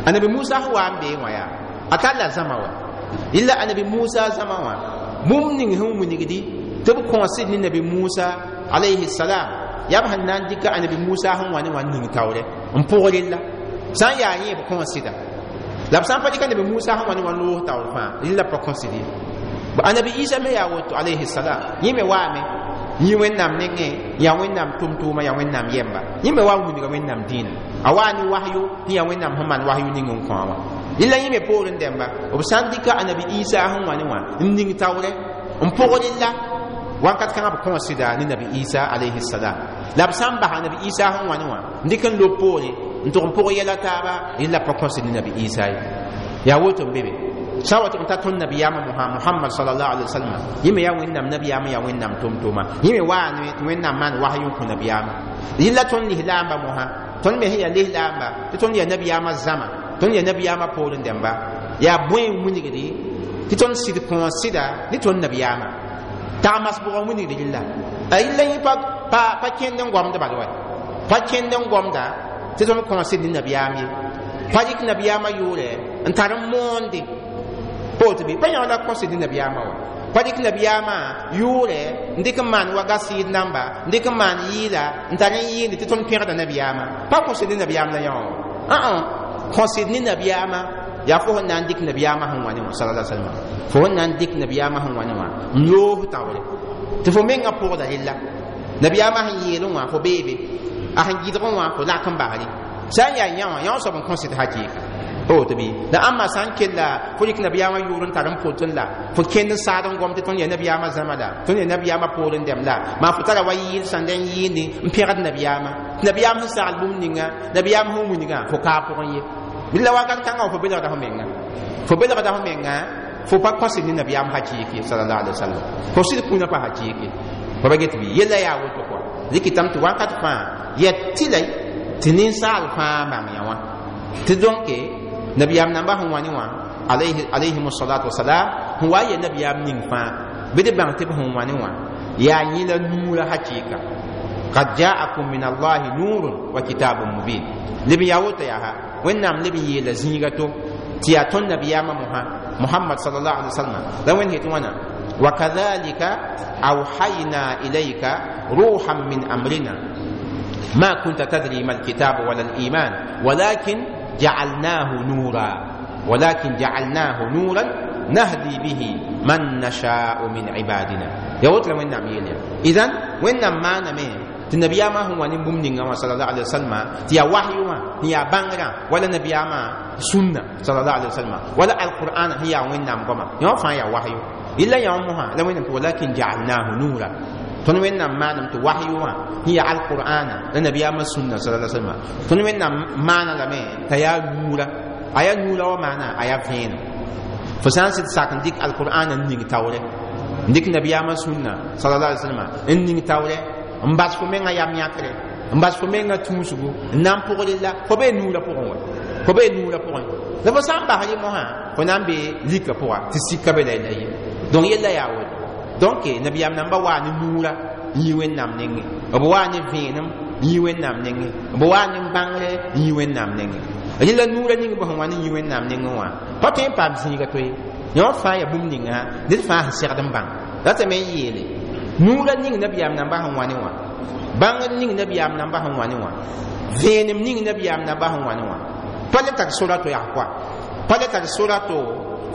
anabi Musa sẽn wa n bee wã yaa a talla zãma wa yella anabi Musa zãma wã bũmb ning sẽn wilgdi tɩ b kõsd ne nabi Musa alayhi salam yaa b sẽn na n dɩka anabi Musa sẽn wa ne wã n ning taoorɛ n pʋg rella sã n yaa yẽ b kõsɩda la b sã n pa dɩka nabi Musa sẽn wa ne wã n loos taoor fãa rella pa kõsd ye. Annabi Isa me yaa woto alayhi salam yẽ me waame yĩ Wẽnnaam nengẽ yaa Wẽnnaam tʋm-tʋʋma yaa Wẽnnaam yɛmba yẽ me wa n wilga Wẽnnaam dĩinã a waa ne wahyu tɩ yaa Wẽnnaam sẽn maan wahyu ning n kõ wã rɩla yẽ me poorẽ dẽmba b sã n dɩka Annabi Isa sẽn wa ne wã n ning taoorɛ n pʋg rɩlla wakat kãngã b kõosda ne Nabi Isa alayhi salam la b sã n bas Annabi Isa sẽn wa ne wã n dɩk n lob poore n tʋg n pʋg yɛla taaba rɩla pa kõsd ne Nabi Isa ye yaa woto n be be sã wa tʋg n ta tõnd nabiyaamã Muhammad sallallahu alaihi wasallam yẽ me yaa Wẽnnaam nabiyaamã yaa Wẽnnaam tʋm-tʋʋma yẽ me waa ne tɩ Wẽnnaam maan wahyu n kõ nabiyaamã rɩla tõnd lislaamba mosã tõnd me sẽn yaa lislaamba tɩ tõnd yaa nabiyaamã zãma tõnd yaa nabiyaamã poorẽ dẽmba yaa bõe n wilgdi tɩ tõnd sɩd kõos sɩda ne tõnd nabiyaamã tagmas bʋgã wilgd rɩlla a rɩlla yẽ pa kẽnd n gomd bal wa pa kẽnd n gomda tɩ tõnd kõos sɩd ne nabiyaam ye pa rɩk nabiyaamã yʋʋrɛ n tar n moonde pa woto bɩ pa yã la kõsd ne nabiyaamã wa pa dɩk nabiyaamã yʋʋrɛ n dɩk n maan wa gasɩɩd namba n dɩk n maan yɩɩla n tar n yɩɩnde tɩ tõnd pẽgda nabiyaamã pa kõsd ne nabiyaam la yã wã kõsd ne nabiyaamã yaa fo sẽn na n dɩk nabiyaamã sẽn wa ne wã sallallahu alaihi wasallam fo sẽn na n dɩk nabiyaamã sẽn wa ne wã n loos taoore tɩ fo mengã pʋgda rella nabiyaamã sẽn yeelẽ wã fo beebe a sẽn gɩdgẽ wã fo lak n basre sã n yaa yã wã yã wã soab n kõsd hakɩɩka woto bɩ la ãmba sã n kella fo rɩk nabiyaamã yʋʋr n tar n pʋtẽ la fo kẽnd n saad n gom tɩ tõnd yaa nabiyaamã zãma la tõnd yaa nabiyaamã poorẽ dɛm la maa fo tara wa yɩɩl sãnda n yɩɩnde n pẽgd nabiyaamã tɩ nabiyaam sẽn sagl bũmb ninga nabiyaam sẽn wilgã fo kaa pʋgẽ ye bɩ la wakat kãngã fo belgda fo menga fo belgda fo menga fo pa kõsd ne nabiyaam hakɩɩke sallallahu alaihi wasallam fo sɩd kũunã pa hakɩɩke fo pa get bɩ yella yaa woto kɔa dɩkɩtame tɩ wakat fãa yaa tɩla tɩ ninsaal fãa bãng yã wã tɩ donc nabiyaam namba sẽn wa ne wã alayhim salatu wasalam sẽn wa n yaa nabiyaam ning fãa bɩ d bãng tɩ b sẽn wa ne wã yaa yẽ la nuurã hakɩɩka qad jaakum min allahi nurun wa kitabun mubin leb n yaa woto yaa Wẽnnaam leb n yeela zĩiga to tɩ yaa tõnd nabiyaamã mosã Muhammad sallallahu alaihi wasallam la Wẽnd het wãna وكذلك أوحينا إليك روحا من أمرنا ما كنت تدري ما الكتاب ولا الإيمان ولكن جعلناه نورا ولكن جعلناه نورا نهدي به من نشاء من عبادنا يا وتر وين نعم يليا إذن وين ما نمي النبي ما هو نبوم نينغا صلى الله عليه وسلم تيا وحي ما هي بانغرا ولا النبي ما سنة صلى الله عليه وسلم ولا القرآن هي وين نعم كما يوم فان يا وحي إلا يومها لو وين ولكن جعلناه نورا tõnd Wẽnnaam maanam tɩ wahyu wã sẽn yaa alqur'ana la nabiyaamã sũnna sallallahu alaihi wasallam tõnd Wẽnnaam maana lame t'a yaa nuura a yaa nuura wã maana a yaa vẽenem fo sã n sɩd sak n dɩk alqur'ana n ning taoorɛ n dɩk nabiyaamã sũnna sallallahu alaihi wasallam n ning taoorɛ n bas fo mengã yam yãkre n bas fo mengã tũusgu n na n pʋgr la fo bee nuurã pʋgẽ wa fo bee nuurã pʋgẽ la fo sã n bas rẽ mosã fo na n be lika pʋga tɩ sika be la la ye donc yella yaa woto donc nabiyaam namba waa ne nuura n yi Wẽnnaam nengẽ b waa ne vẽenem n yi Wẽnnaam nengẽ b waa ne bãngre n yi Wẽnnaam nengẽ rẽ la nuurã ning b sẽn wa ne yi Wẽnnaam nengẽ wã pa tõe n paam zĩiga to ye yõ fãa yaa bũmb ninga ned fãa sẽn segd n bãng ratame n yeele nuurã ning nabiyaam namba sẽn wa ne wã bãngr ning nabiyaam namba sẽn wa ne wã vẽenem ning nabiyaam namba sẽn wa ne wã pa le tar sora to yaa koa pa le tar sora to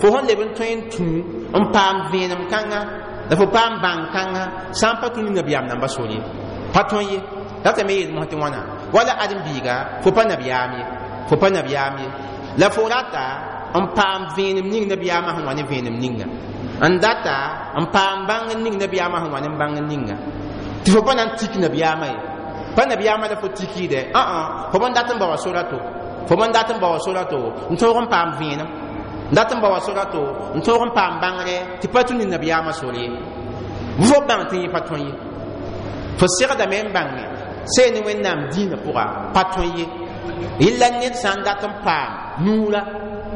fo sẽn leb n tõe n tũ n paam vẽenem kãnga la fo paam bãng kãnga sã n pa tũ ne nabiyaam namba sor ye pa tõe ye ratame yeel mosã tɩ wãna wala ãdem-biiga fo pa nabiyaam ye fo pa nabiyaam ye la fo rata n paam vẽenem ning nabiyaamã sẽn wa ne vẽenem ninga n data n paam bãng ning nabiyaamã sẽn wa ne bãng ninga tɩ fo pa na n tik nabiyaamã ye pa nabiyaamã la fo tikɩɩdɛ ã fo bõn dat n ba wa sora to fo bõn dat n ba wa sora to n tõog n paam vẽenem n dat n ba wa sora to n tõog n paam bãngre tɩ pa tũ ne nabiyaamã sor ye fo bãng tɩ yẽ pa tõe ye fo segdame n bãnge see ne Wẽnnaam dĩinã pʋga pa tõe ye rɩla ned sã n dat n paam nuura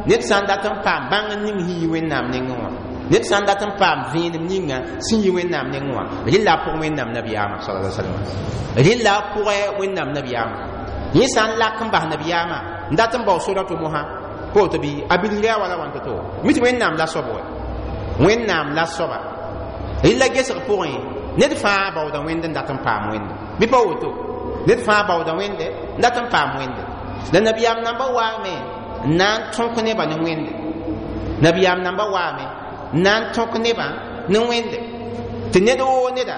ned sã n dat n paam bãng ning sẽn yi Wẽnnaam nengẽ wã ned sã n dat n paam vẽenem ninga sẽn yi Wẽnnaam nengẽ wã rɩla a pʋg Wẽnnaam nabiyaamã sallallahu alaihi wasallam rɩla a pʋgɛ Wẽnnaam nabiyaamã yẽ sã n lak n bas nabiyaamã n dat n bao sora to mosã pa woto bɩ a bilgr yaa wala wãn to-to mi tɩ Wẽnnaam la soab wa Wẽnnaam la soaba rɩla gesg pʋgẽ ned fãa baooda wẽnd n dat n paam wẽnde bɩ pa woto ned fãa baooda wẽnde n dat n paam wẽnde la nabiyaam namba waame n na n tõk nebã ne wẽnde nabiyaam namba waame Na n tõk nebã ne Wẽnde tɩ ned woo neda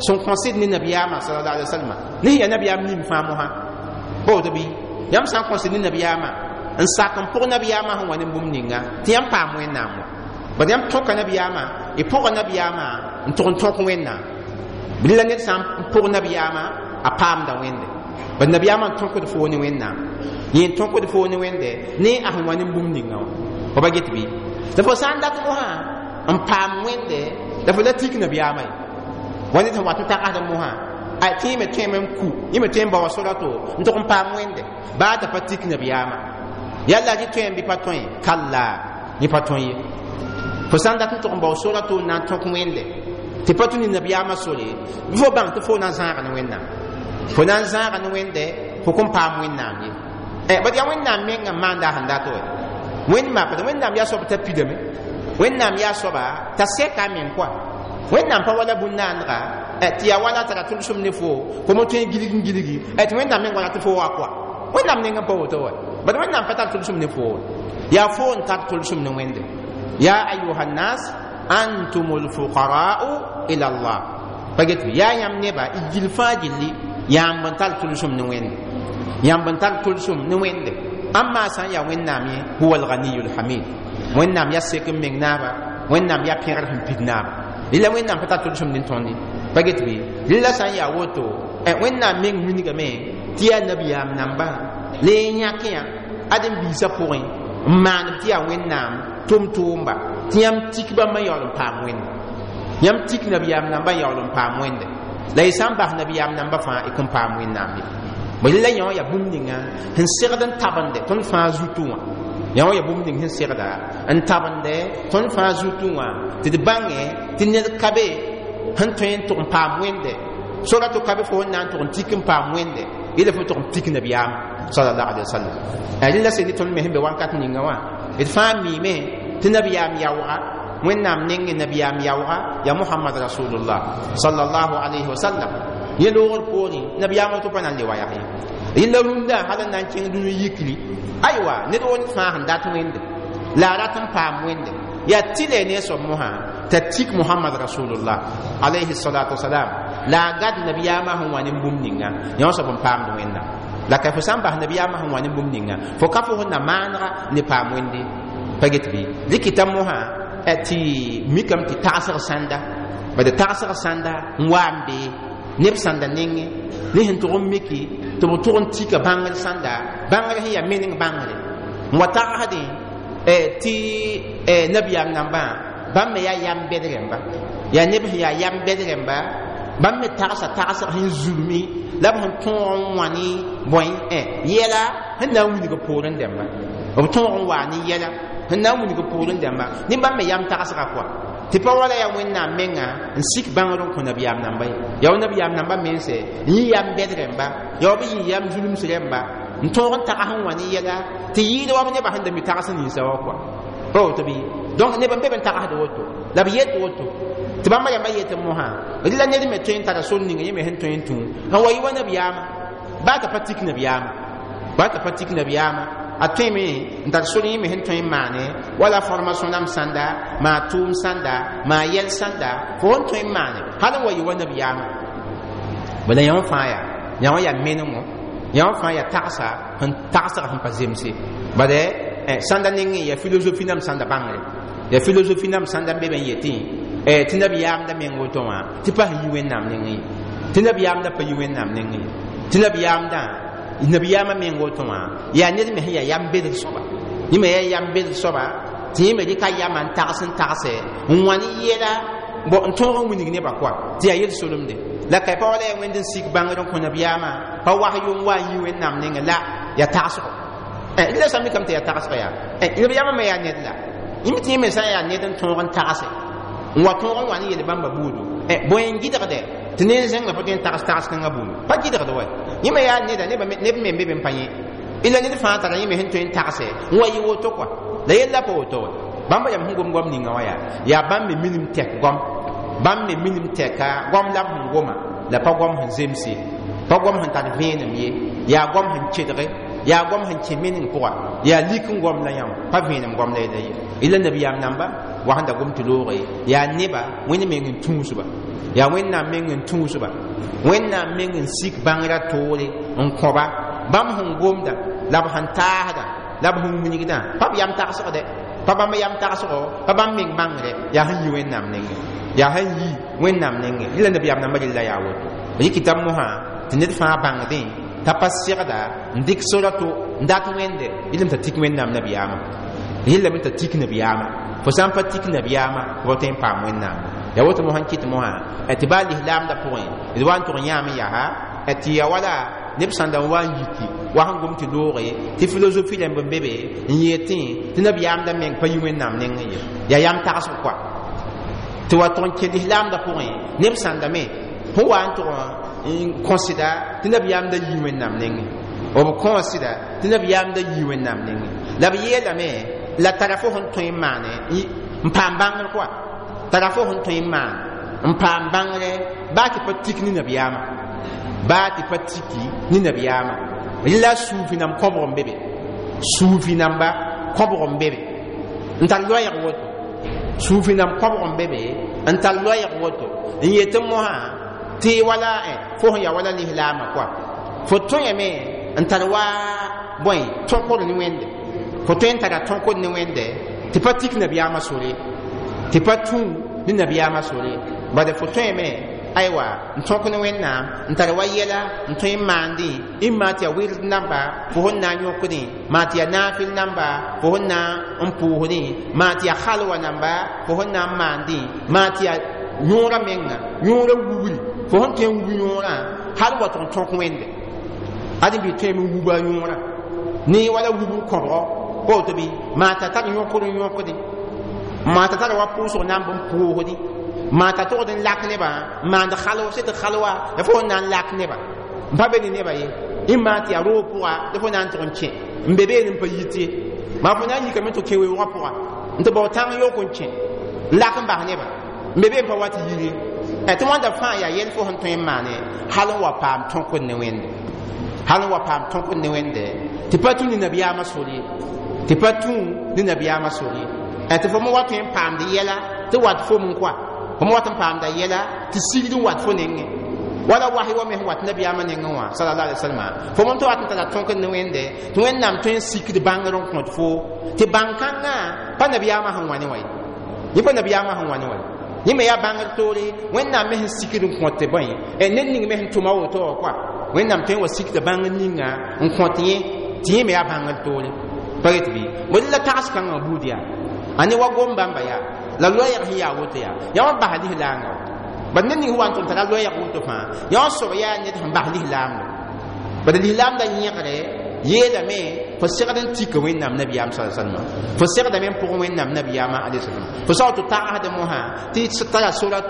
sẽn kõsd ne nabiyaamã sallallahu alaihi wasallam ne sẽn yaa nabiyaam nim fãa mosã pa woto bɩ yãmb sã n kõsd ne nabiyaamã n sak n pʋg nabiyaamã sẽn wa ne bũmb ninga tɩ yãmb paam Wẽnnaam wã bad yãmb tõka nabiyaamã y pʋga nabiyaamã n tʋg n tõk Wẽnnaam bɩ la ned sã n pʋg nabiyaamã a paamda Wẽnde bad nabiyaamã n tõkd foo ne Wẽnnaam yẽ n tõkd foo ne Wẽnde ne a sẽn wa ne bũmb ninga wã fo pa get bɩ la fo sã n dat mosã n paam Wẽnde la fo la tik nabiyaamã ye wa ned sẽn wat n tagsd mosã a tɩ yẽ me tõeme n ku yẽ me tõe n baoa sora to n tʋg n paam Wẽnde baa t'a pa tik nabiyaamã yalla rɩ tõe n bɩ pa tõe kalla yẽ pa tõe ye fo sã n dat n tʋg n bao sora to n na n tõk Wẽnde tɩ pa tũ ne nabiyaamã sore bɩ fo bãng tɩ fo na n zãaga ne Wẽnnaam fo na n zãaga ne Wẽnde fo kõn paam Wẽnnaam ye bad yaa Wẽnnaam mengã n maanda a sẽn dat wɛ Wẽnnaam bad Wẽnnaam yaa soab t'a pidame Wẽnnaam yaa soaba t'a sɛka a meng kɔa Wẽnnaam pa wala bũn-naandga tɩ yaa wala tara tʋlsem ne fo fo mo tõe n gilg n gilgi tɩ Wẽnnaam meng wala tɩ fo wa kɔa Wẽnnaam neng n pa woto wɛ bad Wẽnnaam pa tar tʋlsem ne fo yaa fo n tar tʋlsem ne Wẽnde ya ayuha nnas antum lfuqara'u ila Allah pa get bɩ yaa yãmb neba y gil fãa gilli yãmb n tar tʋlsem ne Wẽnde yãmb n tar tʋlsem ne Wẽnde ãmma sã n yaa Wẽnnaam ye huwa alganiyu lhamid Wẽnnaam yaa sek n meng naaba Wẽnnaam yaa pẽgr sẽn pid naaba rɩla Wẽnnaam pa tar tʋlsem ne tõnd ye pa get bɩ rɩla sã n yaa woto Wẽnnaam meng wilgame tɩ yaa nabiyaam namba la y yãk yã ad n biisã pʋgẽ n maaneb tɩ yaa Wẽnnaam tʋm-tʋʋmba tɩ yãmb tik bãmb n yaool n paam Wẽnde yãmb tik nabiyaam namba n yaool n paam Wẽnde la y sã n bas nabiyaam namba fãa y kõn paam Wẽnnaam ye bõe la yã wã yaa bũmb ninga sẽn segd n tabende tõnd fãa zutu wã yã wã yaa bũmb ning sẽn segda n tabende tõnd fãa zutu wã tɩ d bãngẽ tɩ ned ka be sẽn tõe n tʋg n paam Wẽnde sora tɩ ka be fo sẽn na n tʋg n tik n paam Wẽnde yela fo tʋg n tik nabiyaam sallallahu alaihi wasallam rẽnd la sẽn ne tõnd me sẽn be wakat ninga wã d fãa miime tɩ nabiyaam yaooga Wẽnnaam nengẽ nabiyaam yaooga yaa Mohamad rasulullah sallallahu alaihi wasallam yẽ loogr poorẽ nabiyaamã tɩ pa na n le wa yaa ye rẽnd la rũndã hal n na n kẽng dũni yikri aywa ned woo ned fãa sẽn dat Wẽnde la a rat n paam Wẽnde yaa tɩlɛ ne a soab mosã t'a tik Mohamad rasulullah alayhi salatu wasalam la a gad nabiyaamã sẽn wa ne bũmb ninga yã wã soab n paamd Wẽnnaam la ka fo sã n bas nabiyaamã sẽn wa ne bũmb ninga fo ka fo sẽn na maanega ne paam Wẽnde pa get bɩ dɩkɩta mosã tɩ mikame tɩ tagsg sãnda bad tagsg sãnda n wa n bee neb sãnda nengẽ ne sẽn tʋg n miki tɩ b tʋg n tika bãngr sãnda bãngr sẽn yaa meneng bãngre n wa tagsdẽ tɩ nabiyaam nambã bãmb me yaa yam bɛd rẽmba yaa neb sẽn yaa yam bɛd rẽmba bãmb me tagsa tagsg sẽn zulmi la b sẽn tõog n wã ne bõe yɛla sẽn na n wilg poorẽ dẽmba b tõog n waa ne yɛla sẽn na n wilg poorẽ dẽmba ne bãmb me yam tagsga kɔa tɩ pa wala yaa Wẽnnaam menga n sik bãngr n kõ nabiyaam namba ye yaa wa nabiyaam namba mense n yɩ yam bɛd rẽmba yaa wa b yɩ yam zulms rẽmba n tõog n tags n wã ne yɛla tɩ yɩɩd wa b nebã sẽn da mi tags ninsa wa kɔa pa woto bɩ donc neb n be b n tagsd woto la b yet woto tɩ bãmba rãmbã yet mosã rɩla ned me tõe n tara sor ninga yẽ me sẽn tõe n tũ n wa yɩ wa nabiyaamã baa t'a pa tik nabiyaamã baa t'a pa tik nabiyaamã a tõeme n tar sor yẽ me sẽn tõe n maane wala formation nam sãnda maa tʋʋm sãnda maa yɛl sãnda fo sẽn tõe n maane hal n wa yɩ wa nabiyaamã bala yã wã fãa yaa yã wã yaa menengo yã wã fãa yaa tagsa sẽn tagsg sẽn pa zemse bad sãnda nengẽ yaa philosophie nam sãnda bãngre yaa philosophie nam sãnda n be b n yetẽ tɩ nabiyaamda meng woto wã tɩ pa sẽn yi Wẽnnaam nengẽ ye tɩ nabiyaamda pa yi Wẽnnaam nengẽ ye tɩ nabiyaamdã nabiyaamã meng woto wã yaa ned me sẽn yaa yam bedg soaba yẽ me yaa yam bedg soaba tɩ yẽ me rɩka yamã n tags n tagse n wã ne yɛla n tõog n wilg nebã kɔa tɩ yaa yel-solemde la ka pa wala yaa Wẽnd n sik bãngr n kõ nabiyaamã pa wasyo n wa n yi Wẽnnaam nengẽ la yaa tagsgo la sã n mikame tɩ yaa tagsg yaa nabiyaamã me yaa ned la yẽ tɩ yẽ me sã n yaa ned n tõog n tagse n wa tõog n wa ne yel bãmba buudu bõe n gɩdgdɛ tɩ ned zẽngã pa tõe n tags tags kãngã buudu pa gɩdgd wa yẽ me yaa neda neb me n be be n pa yẽ ila ned fãa tara yẽ me sẽn tõe n tagse n wa yɩ woto kɔa la yella pa woto wa bãmba yam sẽn gom goam ninga wã yaa yaa bãmb me minim tɛk goam bãmb me minim tɛka goam la b sẽn goma la pa goam sẽn zemse pa goam sẽn tar vẽenem ye yaa goam sẽn kedge Yaa goam sẽn kẽ meneng pʋga yaa lik n goam la yãmb pa vẽenem goam la yella ye ila nabiyaam namba wa sẽn da gom tɩ looge yaa neba Wẽnd meng n tũusba yaa Wẽnnaam meng n tũusba Wẽnnaam meng n sik bãngrã toore n kõba bãmb sẽn gomda la b sẽn taasda la b sẽn wilgdã pa b yam tagsgdɛ pa bãmb yam tagsgo pa bãmb meng bãngre yaa sẽn yi Wẽnnaam nengẽ yaa sẽn yi Wẽnnaam nengẽ rɩla nabiyaam namba rella yaa woto rɩkɩta mosã tɩ ned fãa bãngdẽ t'a pa segda n dɩk sora to n dat wẽnde yɩlame t'a tik Wẽnnaam nabiyaamã yɩlame t'a tik nabiyaamã fo sã n pa tik nabiyaamã fo pa tõe n paam Wẽnnaam yaa woto mosã n kɩt mosã tɩ baa lislaamdã pʋgẽ d wa n tʋg yãame yaa tɩ ya wala neb sãn da n wa n yiki wa sẽn gom tɩ looge tɩ filosofi rãmb n be be n yetẽ tɩ nabiyaamdã meng pa yi Wẽnnaam nengẽ ye yaa yam tagsg koa tɩ wa tʋg n kẽ lislaamdã pʋgẽ neb sãndame fõ wa n tʋg n kõsda tɩ nabiyaamdã yi Wẽnnaam nengẽ b kõosda tɩ nabiyaamdã yi Wẽnnaam nengẽ la b yeelame la tara fo sẽn tõe n maane n paam bãngr koa tara fo sẽn tõe n maan n paam bãngre baa tɩ pa tik ne nabiyaamã baa tɩ pa tiki ne nabiyaamã rɩla suufi nam kõbg n be be suufi namba kõbg n be be n tar loɛɛg woto suufi nam kõbg n be be n tar loɛɛg woto n yetɩ mosã tɩ wala fo sẽn ya wala lislaamã koa fo tõeme n tar wa bõe tõkd ne Wẽnde fo tõe n tara tõkd ne Wẽnde tɩ pa tik nabiyaamã sore tɩ pa tũ ne nabiyaamã sore bala fo tõeme aywa n tõk ne Wẽnnaam n tar wa yɛla n tõe n maandẽ n maa tɩ yaa wɩrd namba fo sẽn na n yõkdẽ maa tɩ yaa naafɩl namba fo sẽn na n pʋʋsdẽ maa tɩ yaa halwa namba fo sẽn na n maandẽ maa tɩ yaa yõorã menga yõorã wubri fo sẽn tõe n wub yõorã hal wa tʋg n tõk Wẽnde ãdem-biig tõeme n wuba a yõorã ne wala wubr kõbgɔ pa woto bɩ maa t'a tar yõkd n yõkdẽ maa t'a tara wa pʋʋsg namb n pʋʋsdẽ maa t'a togd n lak nebã n maand halwa sẽd halwa la fo na n lak nebã n pa be ne nebã ye n maa tɩ yaa roog pʋga la fo na n tʋg n kẽ n be beene n pa yit ye maa fo na n yikame tɩ kẽ weoogã pʋga n tɩ bao tãng yok n kẽ n lak n bas nebã n be bee n pa wa tɩ yir ye tɩ wãnda fãa yaa yɛl fo sẽn tõe n maane hal n wa paam tõkd ne Wẽnde hal n wa paam tõkd ne Wẽnde tɩ pa tũ ne nabiyaamã sor ye tɩ pa tũ ne nabiyaamã sor ye tɩ fo me wa tõe n paamd yɛla tɩ wat fom n koa fo me wat n paamda yɛla tɩ sigd n wat fo nengẽ wala wahi wa me sẽn wat nabiyaamã nengẽ wã sallallahu alaihi wasallam fo me tɩ wat n tara tõkd ne Wẽnde tɩ Wẽnnaam tõe n sikd bãngr n kõt fo tɩ bãn-kãngã pa nabiyaamã sẽn wã ne wã ye yẽ pa nabiyaamã sẽn wã ne wã ye yẽ me yaa bãngr toore Wẽnnaam me sẽn sikd n kõt bõe ned ning me sẽn tʋma woto wã koa Wẽnnaam tõe n wa sikda bãngr ninga n kõt yẽ tɩ yẽ me yaa bãngr toore pa get bɩ bõe la tags kãngã buud yaa a ne wa gom bãmba yaa la loɛɛg sẽn yaa woto yaa yã wã bas lislaangã bad ned ning sẽn wa n tʋm tara loɛɛg woto fãa yã wã soab yaa ned sẽn bas lislaamda bad lislaamda yẽgre yeelame fo segd n tika Wẽnnaam nabiyaam sa salma fo segdame n pʋgẽ Wẽnnaam nabiyaamã alayhi salam fo sa tɩ tagsd mosã tɩ tara sora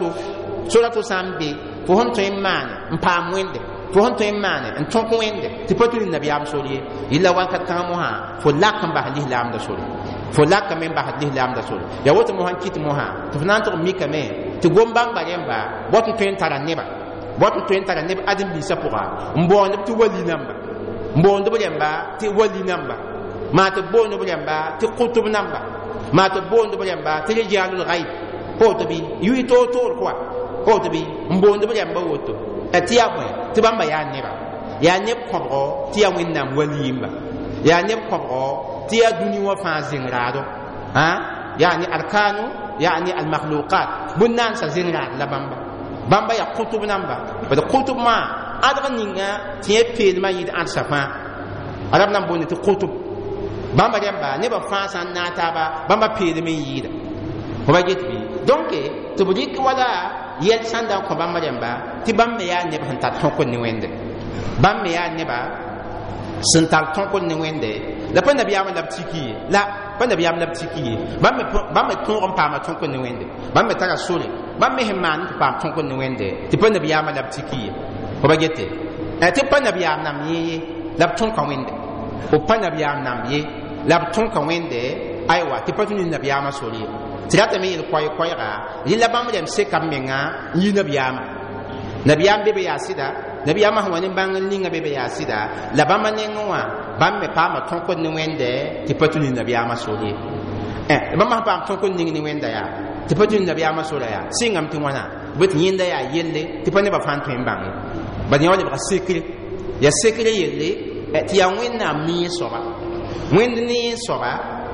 to sã n be fo sẽn tõe n maane n paam Wẽnde fo sẽn tõe n maane n tõk Wẽnde tɩ pa tũ ne nabiyaam sor ye yella wakat kãngã mosã fo lak n bas lislaamda sore fo lakame n basd lislaamda sore yaa woto mosã n kɩt mosã tɩ fo na n tʋg n mikame tɩ gom bãmba rẽmba bot n tõe n tara neba bot n tõe n tara neb ãdem-biisã pʋga n boond b tɩ wali namba n boond b rẽmba tɩ wali namba maa tɩ boond b rẽmba tɩ kʋtb namba maa tɩ boond b rẽmba tɩ rijalul ghaib pa woto bɩ yʋɩ toor-toor koa pa woto bɩ n boond b rẽmba woto tɩ yaa bõe tɩ bãmba yaa neba yaa neb kõbgɔ tɩ yaa Wẽnnaam wali-yĩmba yaa neb kõbgɔ tɩ yaa dũni wã fãa zẽng raado yani arkanu yani almakhluqat bũn-naansa zẽng raad la bãmba bãmba yaa kʋtb namba bad kʋtb maa ãdg ninga tɩ yẽ peelmã yɩɩd ãdsa fãa arab nan boonde tɩ kʋtb bãmba rẽmba nebã fãa sã n naag taaba bãmba peelem n yɩɩda fo ba get bɩ donc tɩ b rɩk wala yɛl sãn da n kõ bãmba rẽmba tɩ bãmb me yaa neb sẽn tar tõkd ne Wẽnde bãmb me yaa neba sẽn tar tõkd ne Wẽnde la pa nabiyaamã la b tiki ye la pa nabiyaam la b tiki ye bãmb me tõog n paama tõkd ne Wẽnde bãmb me tara sore bãmb me sẽn maan tɩ paam tõkd ne Wẽnde tɩ pa nabiyaamã la b tiki ye fo ba gete tɩ pa nabiyaam nam yẽ ye la b tõka Wẽnde b pa nabiyaam nam ye la b tõka Wẽnde aywa tɩ pa tũ ne nabiyaamã sore ye tɩ ratame yel koɛɛ-koɛɛga yella bãmb rẽmb seka b menga n yi nabiyaamã nabiyaam be be yaa sɩda Nabiyaamã sẽn wa ne bãng n ninga be be yaa sɩda la bãmba nengẽ wã bãmb me paama tõkd ne Wẽnde tɩ pa tũ ne nabiyaamã sor ye. Bãmb sẽn paam tõkd ning ne Wẽnda yaa tɩ pa tũ ne nabiyaamã sora yaa sɩngame tɩ wãna bɩ tɩ yẽnda yaa yelle tɩ pa nebã fãa n tõe n bãng ye. Bad yã wa lebga sekre, yaa sekre yelle tɩ yaa Wẽnnaam nee soaba, Wẽnd nee soaba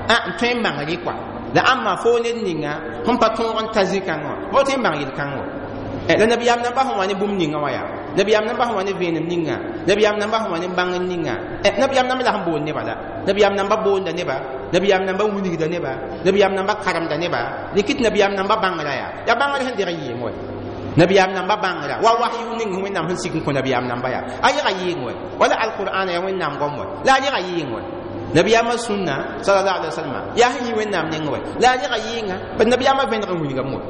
n tõe n bãng rɩ kɔa. La ãmba fo ned ninga sẽn pa tõog n ta zĩ-kãngã wã fo tõe n bãng yel-kãng wã. La nabiyaam namba sẽn wa ne bũmb ninga wã yaa nabiyaam namba sẽn wa ne vẽenem ninga, nabiyaam namba sẽn wa ne bãng ninga, nabiyaam namba la sẽn boond neba la nabiyaam namba boonda neba, nabiyaam namba wilgda neba, nabiyaam namba karemda neba, rɩk tɩ nabiyaam namba bãngrã yaa yaa bãngr sẽn deg n yɩɩng wɛ. Nabiyaam namba bãngrã wa wahyu ning Wẽnnaam sẽn sik n kõ nabiyaam namba yaa a yega yɩɩng wɛ, wala alqur'ana yaa Wẽnnaam goam wɛ la a yega yɩɩng wɛ. Nabiyaamã sũnna sallallahu alaihi wasallam yaa sẽn yɩ Wẽnnaam neng wɛ la a yega yɩɩnga. Bad nabiyaamã vẽneg n wilgame wɛ,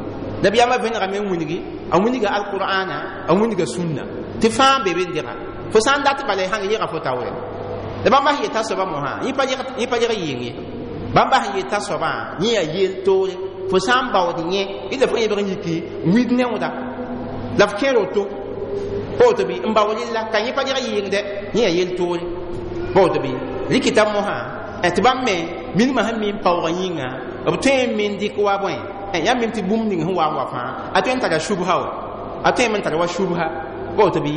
nabiyaamã vẽnegame n wilgi, a wilga alqur'ana, a wilga sũnna tɩ fãa be be n dega. Fo sã n dat bala y sãn yega fo taoore la bãmba sẽn yeta soaba mosã yẽ pa yeg yɩɩng ye. Bãmba sẽn yeta soabã yẽ yaa yel toore fo sã n baood yẽ ila fo yẽbg n yiki wid neooda la f kẽer woto pa woto bɩ n bao rella ka yẽ pa yeg yɩɩng dɛ, yẽ yaa yel toore pa woto bɩ rɩkɩta mosã tɩ bãmb me minimã sẽn mi n paoogã yĩnga b tõe n min dɩk wa bõe yãmb mim tɩ bũmb ning sẽn wa n wa fãa a tõe n tara shubha wa, a tõe n tara wa shubha pa woto bɩ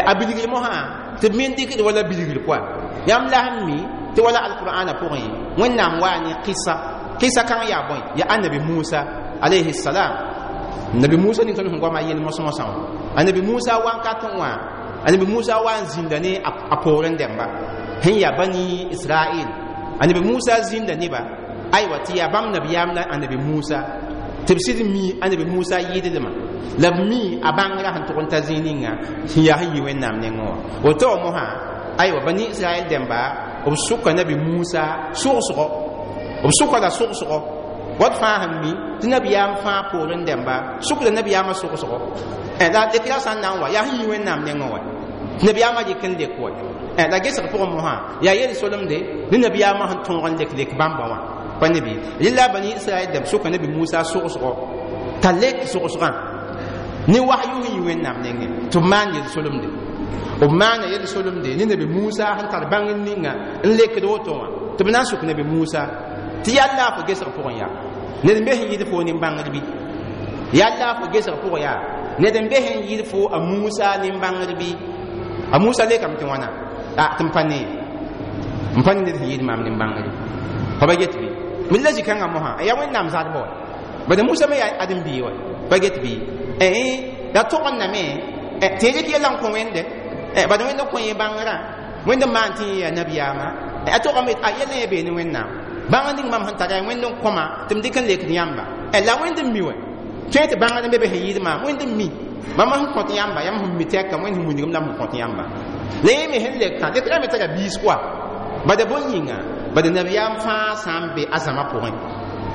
a bilgr mosã tɩ b min dɩkd wala bilgr pʋa. Yãmb la sẽn mi tɩ wala alqur'ana pʋgẽ Wẽnnaam waa ne qisa, qisa kãng yaa bõe yaa annabi Musa alayhi salam. Nabi Musa ning tõnd sẽn goama yel mos-mosã wã, annabi Musa wankat wã, annabi Musa wa n zĩnda ne a poorẽ dẽmba sẽn yaa Bani Israel. Annabi Musa zĩnda neba aywa tɩ yaa bãmb nabiyaam la annabi Musa tɩ b sɩd mi annabi Musa yɩɩdlmã la b mi a bãngrã sẽn tʋg n ta zĩig ninga sẽn yaa sẽn yi Wẽnnaam nengẽ wã. Woto wã mosã aywa Bani Israel dẽmba b sʋka nabi Musa sogsgo, b sʋka la sogsgo wat fãa sẽn mi tɩ nabiyaam fãa poorẽ dẽmba sʋkda nabiyaamã sogsgo la lekra sã n na n wa yaa sẽn yi Wẽnnaam nengẽ wã nabiyaamã dɩk n lek wa. La gesg pʋgẽ mosã yaa yel-solemde ne nabiyaamã sẽn tõog n lek lek bãmba wã pa ne bɩ rela Bani Israɛl dẽmb sʋka nabi Musa sogsgo t'a lek sogsgã ne wahyu sẽn yi Wẽnnaam nengẽ tɩ b maan yel-solemde, b maana yel-solemde ne nabi Musa sẽn tar bãng n ninga n lekd woto wã tɩ b na n sʋk nabi Musa tɩ yalla fo gesg pʋgẽ yaa ned n be sẽn yɩɩd fo nin-bãngd bɩ, yalla fo gesg pʋgẽ yaa ned n be sẽn yɩɩd fo a Musa nin-bãngd bɩ. A Musa lekame tɩ wãna tɩ m pa ne n pa ne ned sẽn yɩɩd maam nin-bãngre fa ba get bɩ mi la zĩ-kãngã mosã yaa Wẽnnaam zadba wa bad Musa me yaa ãdem-biig wa pa get bɩ la togndame tɩ rɩk yɛla n kõ Wẽnde bad Wẽnd n kõ yẽ bãngrã, Wẽnd n maan tɩ yẽ yaa nabiyaamã a togame a yɛl yẽ bee ne Wẽnnaam bãng ning mam sẽn tara Wẽnd n kõma tɩ m dɩk n lekd yãmba la Wẽnd n mi wɛ tõe tɩ bãngd n be be sẽn yɩɩd maam Wẽnd n mi mam sẽn kõt yãmba yãmb sẽn mi tɛka Wẽnd sẽn wilgem la m sẽn kõt yãmba la yẽ me sẽn lekã lekrã me tara biis koa bad bõn yĩnga bad nabiyaam fãa sã n be a zãma pʋgẽ,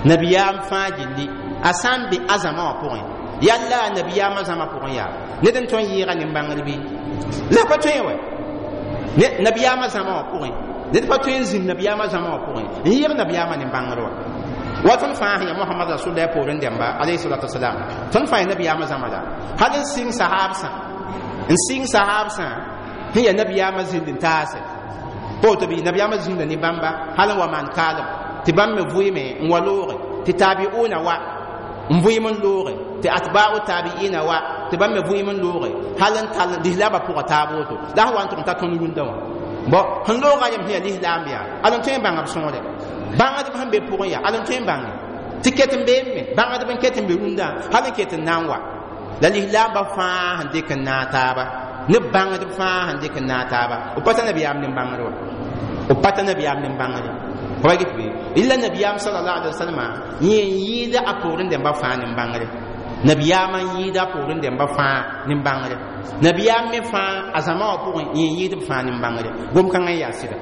nabiyaam fãa gilli a sã n be a zãma wã pʋgẽ yalla nabiyaamã zãma pʋgẽ yaa ned n tõe n yɩɩga nin-bãngr bɩ la pa tõe wɛ nabiyaamã zãma wã pʋgẽ ned pa tõe n zĩnd nabiyaamã zãma wã pʋgẽ n yɩɩg nabiyaamã nin-bãngr wa. Wa tõnd fãa sẽn yaa Mohamad rasulillah poorẽ dẽmba alayhi salatu wasalam tõnd fãa yaa nabiyaamã zãma la hal n sɩng sahaabsã, n sɩng sahaabsã sẽn yaa nabiyaamã zĩnd n taase pa woto bɩ nabiyaamã zĩnda ne bãmba hal n wa maan kaalem tɩ bãmb me vʋɩme n wa looge tɩ taabiuuna wa n vʋɩm n looge tɩ atba'u taabiina wa tɩ bãmb me vʋɩm n looge hal n tall lislaambã pʋga taab woto la sẽn wa n tʋg n ta tõnd rũndã wã bõ sẽn looga yem sẽn yaa lislaam yaa al n tõe n bãnga b sõore bãngdb sẽn be pʋgẽ yaa al n tõe n bãnge tɩ ket n beem me bãngdb n ket n be rũndã hal n ket n na n wa la lislaambã fãa sẽn dɩk n naag taaba ne bãngdb fãa sẽn dɩk n naag taaba b pa ta nabiyaam nin-bãngr wa, b pa ta nabiyaam nin-bãngre pa get bɩ illa nabiyaam sallallahu alaihi wasallam yẽ n yɩɩda a poorẽ dẽmba fãa nin-bãngre, nabiyaamã n yɩɩda a poorẽ dẽmba fãa nin-bãngre, nabiyaam me fãa a zãma wã pʋgẽ yẽ n yɩɩd b fãa nin-bãngre gom-kãngã n yaa sɩda.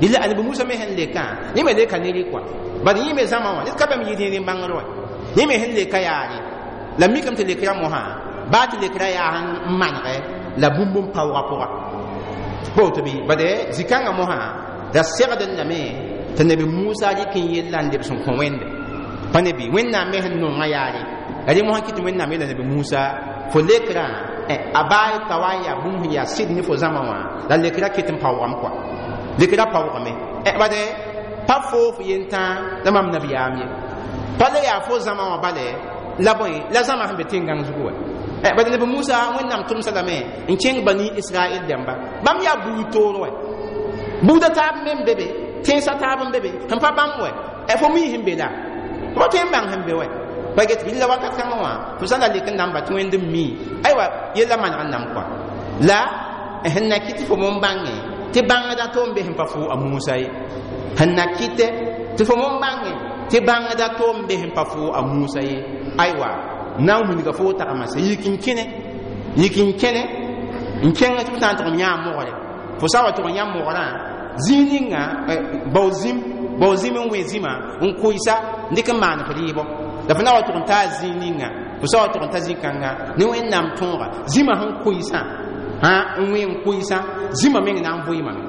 Illa annabi Musa me sẽn lekã yẽ me leka ne rɩ kɔa bad yẽ me zãma wã ned ka bãmb yɩɩd yẽ nin-bãngr wa yẽ me sẽn leka yaare la mikame tɩ lekrã mosã baa tɩ lekrã yaa n manegɛ la bũmb n paoogã pʋga pa woto bɩ bad zĩ-kãngã mosã la segd n lame tɩ nabi Musa rɩk n yella n lebs n kõ Wẽnde pa ne bɩ Wẽnnaam me sẽn nongã yaare la rẽ mosã kɩ tɩ Wẽnnaam yeela nabi Musa fo lekrã A baa pa wa n yaa bũmb sẽn yaa sɩd ne fo zãma wã la lekra ket n paoogame kɔa lekra paoogame bade pa foo f yentã la mam nabiyaam ye pa la yaa fo zãma wã bale la bõe la zãma sẽn be tẽn-gãng zugu wa bad nabi Musa Wẽnnaam tʋmsa lame n kẽng bani Israɛl dãmba bãmb yaa buud toor wɛ buuda taab me n be be tẽnsã taab n be be sẽn pa bãmb wɛ fo mii sẽn be la fo tõe n bãng sẽn be wɛ pa get bɩ la wakat kãngã wã fo sã n la lek n na n ba tɩ wẽnd n mii aywa yella maneg n nam kɔa la sẽn na kɩt tɩ fo mon bãnge tɩ bãngda to n be sẽn pa fo a Musa ye sẽn na kɩtɛ tɩ fo mon bãnge tɩ bãngda to n be sẽn pa fo a Musa ye aywa na n wilga fo tagma se yik n kẽne yik n kẽne n kẽng tɩ f sã n tʋg n yãa mogre fo sã n wa tʋg n yã mogrã zĩig ninga bao zĩm n wẽ zĩma n kʋɩsa n dɩk n maan f rɩɩbɔ la fo na wa tʋg n taa zĩig ninga fo sã wa tʋg n ta zĩ-kãnga ne Wẽnnaam tõoga zĩma sẽn kʋɩsã n wẽ n kʋɩsã zĩma meng na n vʋɩɩmame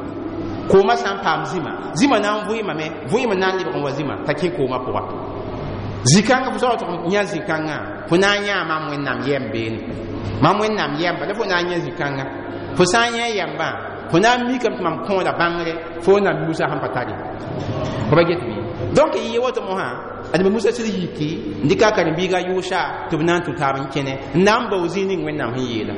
kooma sã n paam zĩma zĩma na n vʋɩɩmame vʋɩɩm na n lebg n wa zĩma t'a kẽ kooma pʋga zĩ-kãngã fo sã wa tʋg n yã zĩ-kãngã fo na n yãa mam Wẽnnaam yɛm beene mam Wẽnnaam yɛmba la fo na n yã zĩ-kãngã fo sã n yã yɛmbã fo na n mikame tɩ mam kõoda bãngre fo na Musa sẽn pa tare fo pa get bɩ donc yɩ woto mosã adame Musa sɩd yiki n dɩka a karen-biiga yʋʋsa tɩ b na n tũ taab n kẽne n na n bao zĩig ning Wẽnnaam sẽn yeela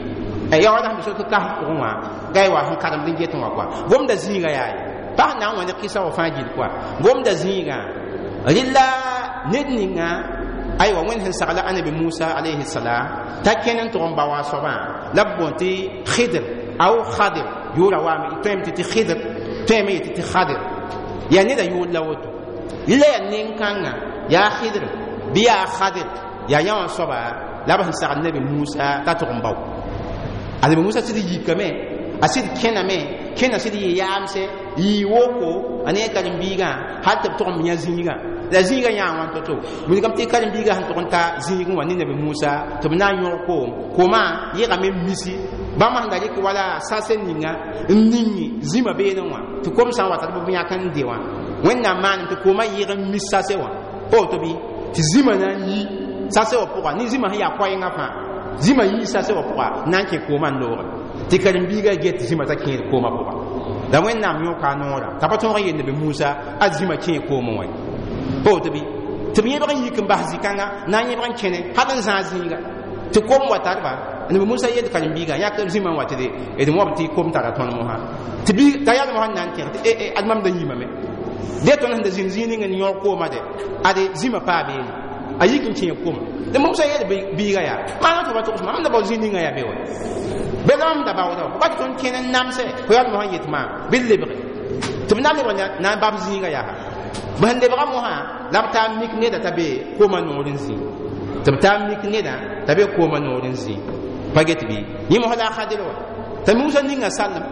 ya wala sẽn be sot kas pʋgẽ wã ga wa sẽn karemd n get wã kɔa gomda zĩiga yaa ye pa sẽn na n wa ne kɩsa wã fãa gill kɔa gomda zĩigã rɩla ned ninga aywa Wẽnd sẽn sagla anabi Musa alayhi salam t'a kẽn n tʋg n ba wa a soabã la b boond tɩ Khidr aw Khadir yʋʋra waame tõeme tɩ tɩ Khidr tõeme yetɩ tɩ Khadir yaa neda yʋʋr la woto rɩla yaa nen-kãngã yaa Khidr bɩ yaa Khadir yaa yã wã soaba la b sẽn sagl nabi Musa t'a tʋg n bao anabi Musa sɩd yikame a sɩd kẽname kẽna sɩd yɩ yaamse yɩ woko a ne a karen-biigã hal tɩ b tʋg n yã zĩigã la zĩigã yãa wãn to-to wilgame tɩ karen-biigã sẽn tʋg n ta zĩigẽ wã ne nabi Musa tɩ b na n yõg koom koomã yegame n misi bãmb sẽn da rɩk wala sase ninga n ning zĩma beene wã tɩ kom sã n wata tɩ b yãk n de wã Wẽnnaam maanem tɩ koomã yɩg n mis sase wã pa woto bɩ tɩ zĩma na n yi sase wã pʋga ne zĩma sẽn yaa koɛɛngã fãa zĩma yii sase wã pʋga na n kẽ koomã n looge tɩ karen-biigã get zĩma t'a kẽed koomã pʋga la Wẽnnaam yõka a noorã t'a pa tõog n yel nabi Musa a zĩma kẽe koomẽ wã pa woto bɩ tɩ b yẽbg n yik n bas zĩ-kãnga na n yẽbg n kẽne hal n zãag zĩiga tɩ kom wa tarba nabi Musa yel karen-biigã yãk zĩma n wa tɩ d wãb tɩ kom tara tõnd mosã tɩ bi t'a yal mosã n na n tẽg tɩ ad mam da yimame de tõnd sẽn da zĩnd zĩig ning n yõog kooma de ade zĩma paa beene a yik n kẽeg kooma tɩ Musa yel biiga yaa maana tɩ ba togs mam da bao zĩig ninga yaa be wa bela mam da baooda ba tɩ tõnd kẽn n namsɛ fo yal mosã n yet maam bɩ d lebge tɩ b na lebg na n bab zĩiga yaa b sẽn lebga mosã la b taa mik neda t'a be kooma noor n zĩ tɩ b taa mik neda t'a be kooma noor n zĩ pa get bɩ yẽ mosã la a Khadir wa t'a Musa ninga salem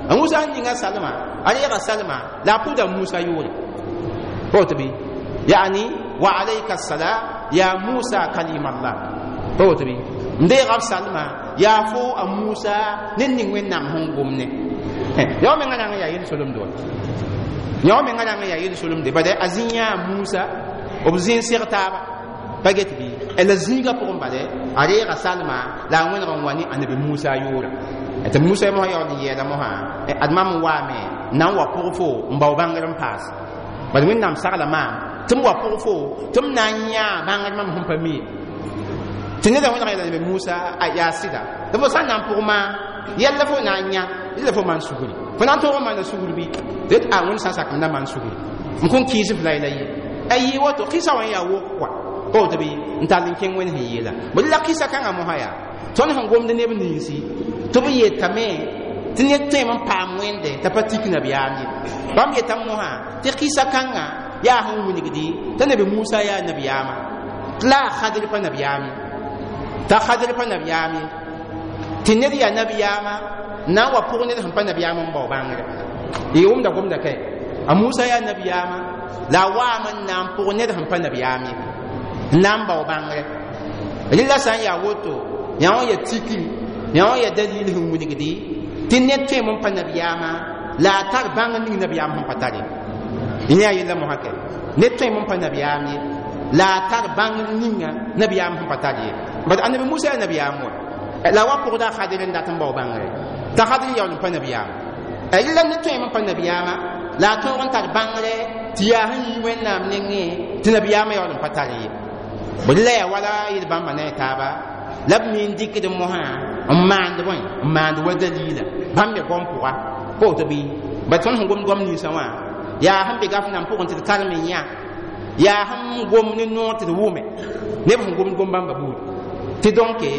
a Musa sẽn ninga salma a reega salma la a pʋda Musa yʋʋre pa woto bɩ yaani wa alayka salam ya Musa kalim Allah pa woto bɩ n deega b salma yaa fo a Musa ned ning Wẽnnaam sẽn gom ne yao menga na n yaa yel-solemde wa yao menga na n yaa yel-solemde bad a zĩ yãa Musa b zĩ n seg taaba pa get bɩ la zĩigã pʋgẽ bale a reega salma la a wẽneg n wa ne anabi Musa yʋʋra tɩ Musa mosã yaool n yɛɛla mosã ad mam n waame na n wa pʋg fo n bao bãngr n paas bad Wẽnnaam sagla maam tɩ m wa pʋg fo tɩ m na n yãa bãngr mam sẽn pa mi tɩ neda wẽneg yeela nabi Musa a yaa sɩda tɩ fo sã n na n pʋg maa yɛlla fo na n yã yella fo maan sugri fo na n tõog n maana sugr bɩ tɩ a Wẽnd sã n sak m na maan sugri n kõn kɩɩs f la ye a yɩ woto kɩsa wã n yaa wok kɔa pa woto bɩ n tall n kẽng Wẽnd sẽn yeela bd la kɩsa kãngã mosã yaa tõnd sẽn gomd neb ninsi tɩ b yetame tɩ ned tõeme n paam wẽnde t'a pa tik nabiyaam ye bãmb yetame mosã tɩ kɩsa kãngã yaa sẽn wilgdi t'a nabi Musa yaa nabiyaama tɩ la a Khadir pa nabiyaam ye t'a Khadir pa nabiyaam ye tɩ ned yaa nabiyaama na n wa pʋg ned sẽn pa nabiyaam n bao bãngre y wʋmda gomda kae a Musa yaa nabiyaama la a waam n na n pʋg ned sẽn pa nabiyaam ye n na n bao bãngre rɩla sã n yaa woto yã wã ya tikri yã wã ya dalil sẽn wilgdi tɩ ned tõeme n pa nabiyaama la a tar bãngr ning nabiyaam sẽn pa tare yẽ yaa yella mosã kɛ ned tõeme n pa nabiyaam ye la a tar bãngr ninga nabiyaam sẽn pa tar ye bad annabi Musa yaa nabiyaam wa La wa pʋgda a Khadir n dat n bao bãngre t'a Khadir yaool n pa nabiyaam. Rɩla ne tõeme n pa nabiyaama la a tõog n tar bãngre tɩ yaa sẽn yi Wẽnnaam nengẽ tɩ nabiyaamã yaool n pa tar ye. Bõe la yaa wala yel bãmba ne a taaba la b me n dɩkd mosã n maand bõe n maand wa dalila bãmb me gom pʋga pa woto bɩ ba tõnd sẽn gomd goam ninsã wã yaa sẽn be gaf nan pʋgẽ tɩ d karem n yã yaa sẽn gom ne noor tɩ d wʋme neb sẽn gomd gom bãmba buud tɩ dõnke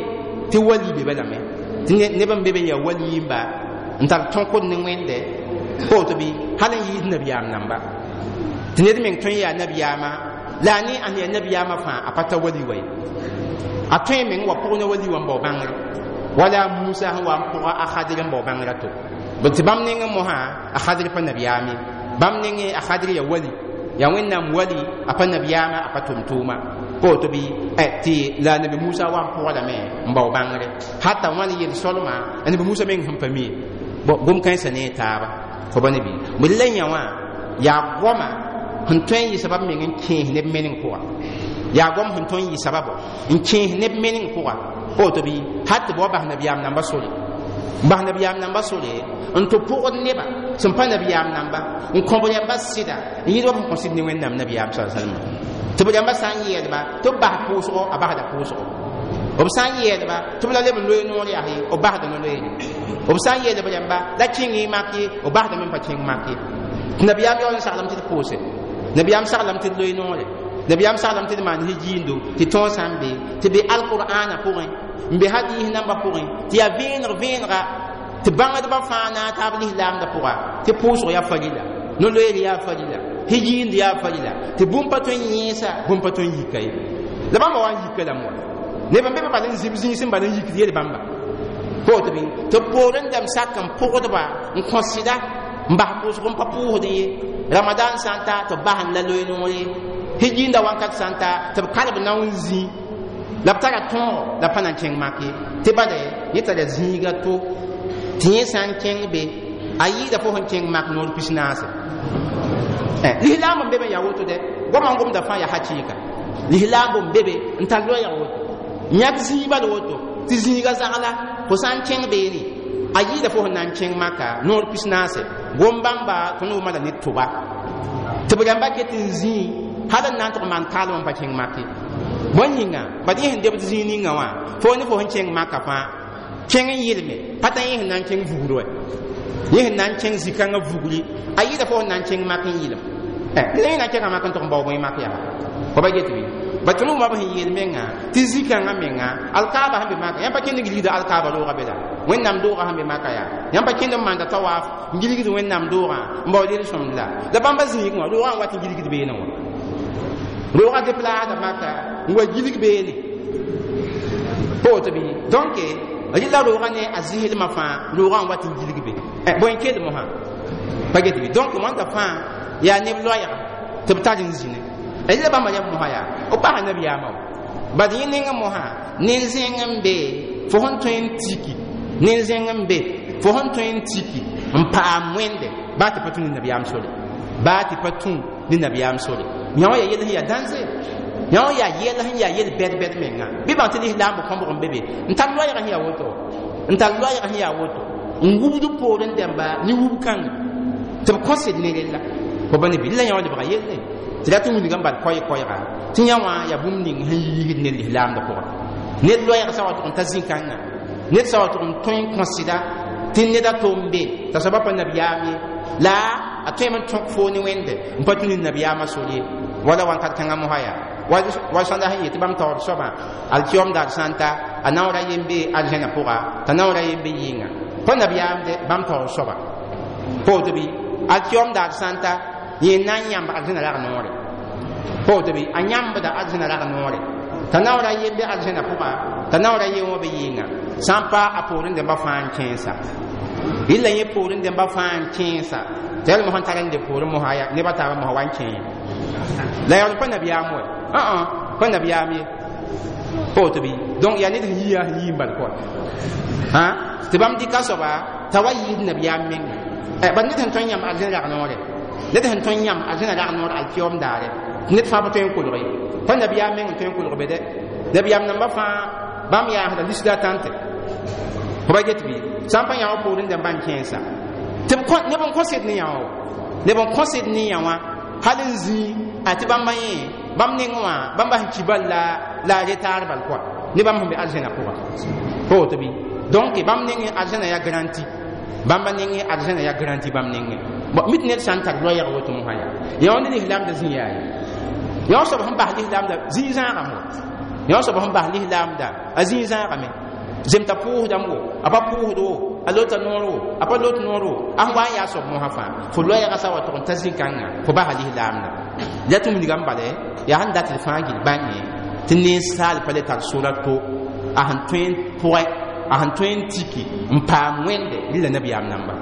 tɩ wali be balame tɩ neb n be be n yaa wali yimba n tar tõkd ne Wẽnde pa woto bɩ hal n yɩɩs nabiyaam namba tɩ ned meng tõe n yaa nabiyaamã la a ne a sẽn yaa nabiyaamã fãa a pa ta wali wa ye a tõe meng wa pʋg ne wali wã n bao bãngre wala Musa sẽn wa n pʋga a Khadir n bao bãngrã to tɩ bãmb nengẽ mosã a Khadir pa nabiyaam ye bãmb nengẽ a Khadir ya wali ya Wẽnnaam wali a pa nabiyaamã a pa tʋm-tʋʋma pa woto bɩ tɩ la nabi Musa wa n pʋgdame n bao bãngre hata wãn yel-solma a nabi Musa meng sẽn pa mi gom kãensã ne a taaba fo ba ne bɩ bõe la yã wã yaa goama sẽn tõe n yɩ sabab meng n kẽes neb meneng pʋga yaa goam sẽn tõe n yɩ sababo n kẽes neb meneng pʋga pa woto bɩ hal tɩ b wa bas nabiyaam namba sore n bas nabiyaam namba sore n tɩ pʋgd neba sẽn pa nabiyaam namba n kõ b rãmba sɩda n yɩɩd wa b sẽn kõ sɩd ne Wẽnnaam nabiyaam sa salma tɩ b rãmba sã n yɛɛdba tɩ b bas pʋʋsgo a basda pʋʋsgo b sã n yɛɛdba tɩ b la leb n loe noor yaa ye b basda no-loeere b sã n yeelb rãmba la kẽng y mak ye b basdame n pa kẽng mak ye tɩ nabiyaam yaool n saglame tɩ d pʋʋse nabiyaam saglame tɩ d loe noore nabiyaam saglame tɩ d maan hijiindo tɩ tõog sã n be tɩ be alqur'ana pʋgẽ n be hadiis nambã pʋgẽ tɩ yaa vẽeneg vẽenega tɩ bãngdbã fãa na n taab lislaamdã pʋga tɩ pʋʋsg yaa farila no-loeer yaa farila hijiind yaa farila tɩ bũmb pa tõe n yẽesa bũmb pa tõe n yika ye la bãmba wa n yika lame wa neb n be be bal n zib zĩis n bal n yikd yel bãmba pa woto bɩ tɩ poor n dãmb sak n pʋgdba n kõ sɩda n bas pʋʋsg n pa pʋʋsd ye ramadan sã n ta tɩ b bas n la loe noore hijiinda wãnkat sã n ta tɩ b kalb nao n zĩ la b tara tõogo la pa na n kẽng mak ye tɩ bala yẽ tara zĩiga to tɩ yẽ sã n kẽng be a yɩɩda fo sẽn kẽng mak noor 40 lislaam n be be n yaa woto dɛ goamã n gomda fãa yaa hakɩɩka lislaam n be be n tar loɛɛg woto yãk zĩig bal woto tɩ zĩiga zagla fo sã n kẽng beene a yɩɩda fo sẽn na n kẽng maka noor 40 gom bãmba tõnd wʋma la ne tʋba tɩ b rãmba ket n zĩi hal n na n tʋg maan kaalem n pa kẽng mak ye bõe yĩnga bad yẽ sẽn debd zĩig ninga wã fo ne fo sẽn kẽng maka fãa kẽng n yɩlme pa t'a yẽ sẽn na n kẽng vugr wɛ yẽ sẽn na n kẽng zĩ-kãngã vugri a yɩɩda fo sẽn na n kẽng mak n yɩlem la yẽ na n kẽnga mak n tʋg n bao bõe mak yaa fo ba get bɩ ba tõnd wʋma b sẽn yeel menga tɩ zĩ-kãngã menga alkaaba sẽn be maka yãmb pa kẽnd n gilgda alkaaba roogã be la Wẽnnaam doogã sẽn be maka yaa yãmb pa kẽnd n maanda tawaaf n gilgd Wẽnnaam doogã n bao lel-sõmd la la bãmba zĩigẽ wã roogã n wat n gilgd beene wã roogã deplaasda maka n wa gilg beene pa woto bɩ donc rɩla roogã ne a zɩslmã fãa roogã n wat n gilg be bõe n kell mosã pa get bɩ donc wãnda fãa yaa neb loɛɛga tɩ b tar n zĩne rɩla bãmba rãmb mosã yaa b basa nabiyaamã wa bad yẽ nengẽ mosã nen-zẽng n be fo sẽn tõe n tiki nen-zẽng n be fo sẽn tõe n tiki n paam Wẽnde baa tɩ pa tũ ne nabiyaam sore baa tɩ pa tũ ne nabiyaam sore yã wã yaa yell sẽn yaa dãnze yã wã yaa yɛl sẽn yaa yel bɛd-bɛd menga bɩ bãng tɩ lislaam b kõbg n be be n tar loɛɛg sẽn yaa woto n tar loɛɛg sẽn yaa woto n wubd poor n dẽmba ne wub kãnga tɩ b kõsd ne rella fo ba ne bɩ la yã wã lebga yelle tɩ rat n wilga n bal koɛɛ-koɛɛga tɩ yã wã yaa bũmb ning sẽn yiisd ned lislaamdã pʋgã ned loɛɛg sã wa tʋg n ta zĩ-kãngã ned sã wa tʋg n tõe n kõ sɩda tɩ ned a tom be t'a soaba pa nabiyaam ye la a tõeme n tõk foo ne Wẽnde n pa tũ ne nabiyaamã sor ye wala wãnkat kãngã mosã yaa wa sõnda sẽn yet tɩ bãmb taoor soabã alkiom daar sã n ta a naoora yen be arzẽna pʋga t'a naoora yen be yɩnga pa nabiyaam de bãmb taoor soaba pa woto bɩ alkiom daar sã n ta yẽ na n yãmb arzẽna rag noore pa woto bɩ a yãmbda arzẽna rag noore t'a naoora yen be arzẽna pʋga t'a naoora yen wã be yɩnga sã n pa a poorẽ dẽmba fãa n kẽesa rɩla yẽ poorẽ dẽmba fãa n kẽesa tɩ yal mosã tar n le poorẽ mosã ya nebã taabã mosã wa n kẽe la yaool pa nabiyaam wɛ pa nabiyaam ye pa woto bɩ donc yaa ned sẽn yi yaa sẽn yi n bal kɔa tɩ bãmb dɩka soaba t'a wa yɩɩd nabiyaam menga bad ned sẽn tõe n yãmb arzẽn rag noore ned sẽn tõe n yãmb arzẽna rag noor alkiom daare ned fãa pa tõe n kolg ye pa nabiyaam meng n tõe n kolg be dɛ nabiyaam namba fãa bãmb yaasda lisda tãnte Fo ba get bɩ sã n pa yã wã poorẽ dãmb n kẽesa tɩ neb n kõsd ne yã wã, neb n kõsd ne yã wã hal n zĩi a tɩ bãmba yẽ bãmb nengẽ wã bãmba sẽn ki bal la a retaar bal kɔa ne bãmb sẽn be arzẽna pʋga pa woto bɩ. Donc bãmb nengẽ arzẽna yaa garanti, bãmba nengẽ arzẽna yaa garanti bãmb nengẽ. Bon, mit ned sã n tar loɛɛg woto mosã yaa yã wã ne lislaamda zĩ yaa ye yã wã soab sẽn bas lislaamda zĩig zãagame, yã wã soab sẽn bas lislaamda a zĩig zãagame. Zemta pʋʋsdame wo a pa pʋʋsd wo, a lota noor wo a pa lot noor wo, a sẽn wa n yaa soab mosã fãa fo loɛɛga sa wa tʋg n ta zĩ-kãngã fo basa lislaamda. La tɩ wilgame bala yaa sẽn dat d fãa gil bãnge tɩ ninsaal pa le tar sora to a sẽn tõe n pʋgɛ, a sẽn tõe n tiki n paam wẽnde rɩla nabiyaam namba.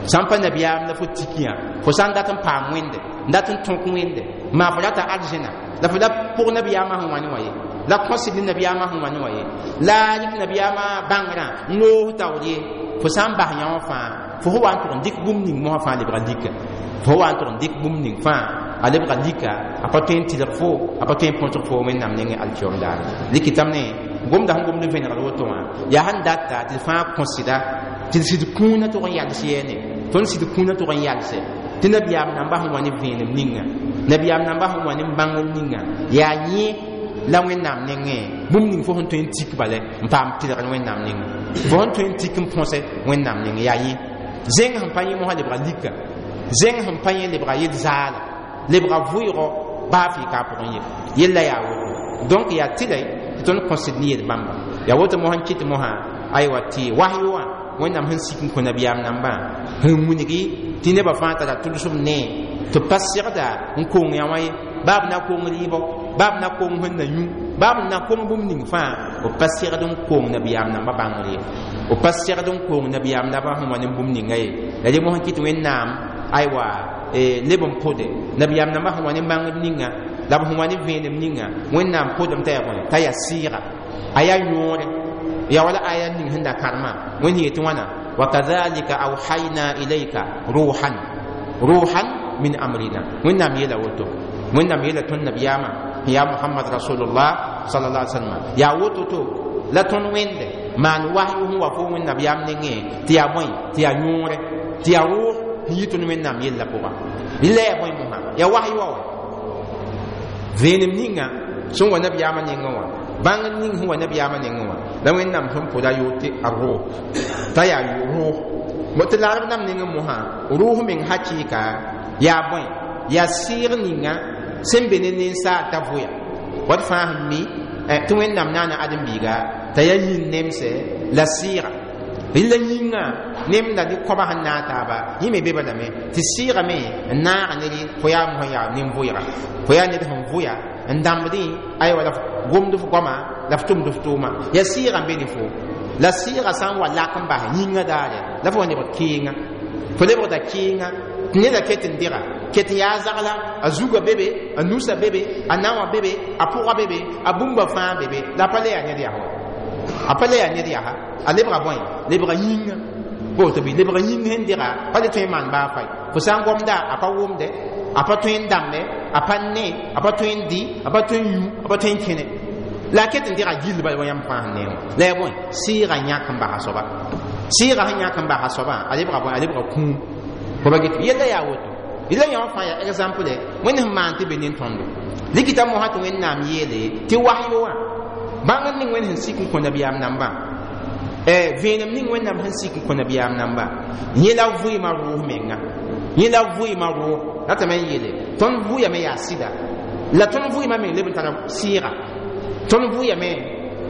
Sã n pa nabiyaam la fo tikiyã, fo sã n dat n paam wẽnde, n dat n tõk wẽnde maa fo rata arzẽna la fo la pʋg nabiyaamã sẽn wa ne wã ye, la kõsd ne nabiyaamã sẽn wa ne wã ye, la rɩk nabiyaamã bãngrã n loos taoor ye. Fo sã n bas yã wã fãa fo sẽn wa n tʋg n dɩk bũmb ning mosã fãa lebga lika, fo wa n tʋg n dɩk bũmb ning fãa a lebga lika, a pa tõe n tɩlg fo, a pa tõe n põsg fo Wẽnnaam nengẽ alkiom daare. Rɩkɩtame ne gomda sẽn gomd vẽnegd woto wã yaa sẽn data tɩ d fãa kõsda tɩ d sɩd kũunã tʋg n yals yɛɛne, tõnd sɩd kũunã tʋg n yalse tɩ nabiyaam namba sẽn wa ne vẽenem ninga, nabiyaam namba sẽn wa ne bãngr ninga yaa yẽ la Wẽnnaam nengẽ bũmb ning fo sẽn tõe n tik bala n paam tɩlgr Wẽnnaam nengẽ, fo sẽn tõe n tik n põse Wẽnnaam nengẽ yaa yẽ. Zẽng sẽn pa yẽ mosã lebga lika, zẽng sẽn pa yẽ lebga yel zaala, lebga vʋɩgɔ baa fɩ ka a pʋgẽ ye yella yaa woto. Donc yaa tɩlɛ tɩ tõnd kõsd ne yel bãmba yaa woto mosã n kɩt mosã aywa tɩ wasyo wã Wẽnnaam sẽn sik n kõ nabiyaam nambã sẽn wilgi tɩ nebã fãa tara tʋlsem ne tɩ pa segda n kong yã wã ye, baa b na kong rɩɩbɔ, baa b na kong sẽn na yũ, baa b na kong bũmb ning fãa, b pa segd n kong nabiyaam nambã bãngr ye, b pa segd n kong nabiyaam nambã sẽn wa ne bũmb ninga ye. La dẽ mosã kɩt Wẽnnaam aywa leb n pʋde nabiyaam nambã sẽn wa ne bãngr ninga la b sẽn wa ne vẽenem ninga, Wẽnnaam pʋdem t'a yaa bõe t'a yaa sɩɩga, a yaa yõore ya wala aya ning sẽn da karema Wẽnd yetɩ wãna wakadhalika awhayna ilayka ruhan, ruhan min amrina. Wẽnnaam yeela woto, Wẽnnaam yeela tõnd nabiyaamã ya Muhammad rasulullah sallallahu alaihi wasallam yaa woto to la tõnd wẽnde maan wahyu sẽn wa fo Wẽnd nabiyaam nengẽ tɩ yaa bõe tɩ yaa yõore tɩ yaa rʋʋg sẽn yi tõnd Wẽnnaam yella pʋga. Rɩla yaa bõe mosã yaa wahyu wa wa vẽenem ninga sẽn wa nabiyaamã nengẽ wã, bãngr ning sẽn wa nabiyaamã nengẽ wã la Wẽnnaam sẽn pʋda yoor tɩ a rʋʋg t'a yaa rʋʋg tɩ laarb nam nengẽ mosã rʋʋg meng hakɩɩka yaa bõe yaa sɩɩg ninga sẽn be ne ninsaal t'a vʋya wat fãa sẽn mi tɩ Wẽnnaam naana ãdem-biiga t'a yaa yĩn nemsɛ la sɩɩga rɩla yĩngã nemda ne kõba sẽn naag taaba yẽ me be balame tɩ sɩɩgame n naaga ne fo yaa mosã yaa nin-vʋɩga, fo yaa ned sẽn vʋya n dãmbdẽ aywa la f gomd f goama la f tʋmd f tʋʋma yaa sɩɩga n be ne fo. La sɩɩga sã n wa lak n bas yĩngã daare la fo wa lebg keenga, fo lebgda keenga tɩ neda ket n dega ket n yaa zagla a zuga bebe, a nusa bebe, a naowã bebe, a pʋga bebe, a bũmba fãa bebe, la a pa le yaa ned yaa wa, a pa le yaa ned yaa a lebga bõe lebga yĩngã woto bɩ lebga yĩng sẽn dega pa le tõe n maan baa fay fo sã n gomda a pa wʋmde, a pa tõe n dãmbe, a pa ne, a pa tõe n dɩ, a pa tõe n yũ, a pa tõe n kẽne, la a ket n dega gill bala wa yãmb fãa sẽn neewã la yaa bõe sɩɩga yãk n basa soaba, sɩɩga sẽn yãk n basa soabã a lebga bõe a lebga kũum fo ba get yella yaa woto. Rɩla yã wã fãa yaa exemple Wẽnd sẽn maan tɩ be nin-tõndo rɩkɩta mosã tɩ Wẽnnaam yeele tɩ wasyo wã bãngr ning Wẽnd sẽn sik n kõ nabiyaam nambã, vẽenem ning Wẽnnaam sẽn sik n kõ nabiyaam namba yẽ la vɩɩmã rʋʋs menga, yẽ la vɩɩmã rʋʋs ratame n yeele tõnd vʋyame yaa sɩda la tõnd vʋɩɩmã meng leb n tara sɩɩga, tõnd vʋyame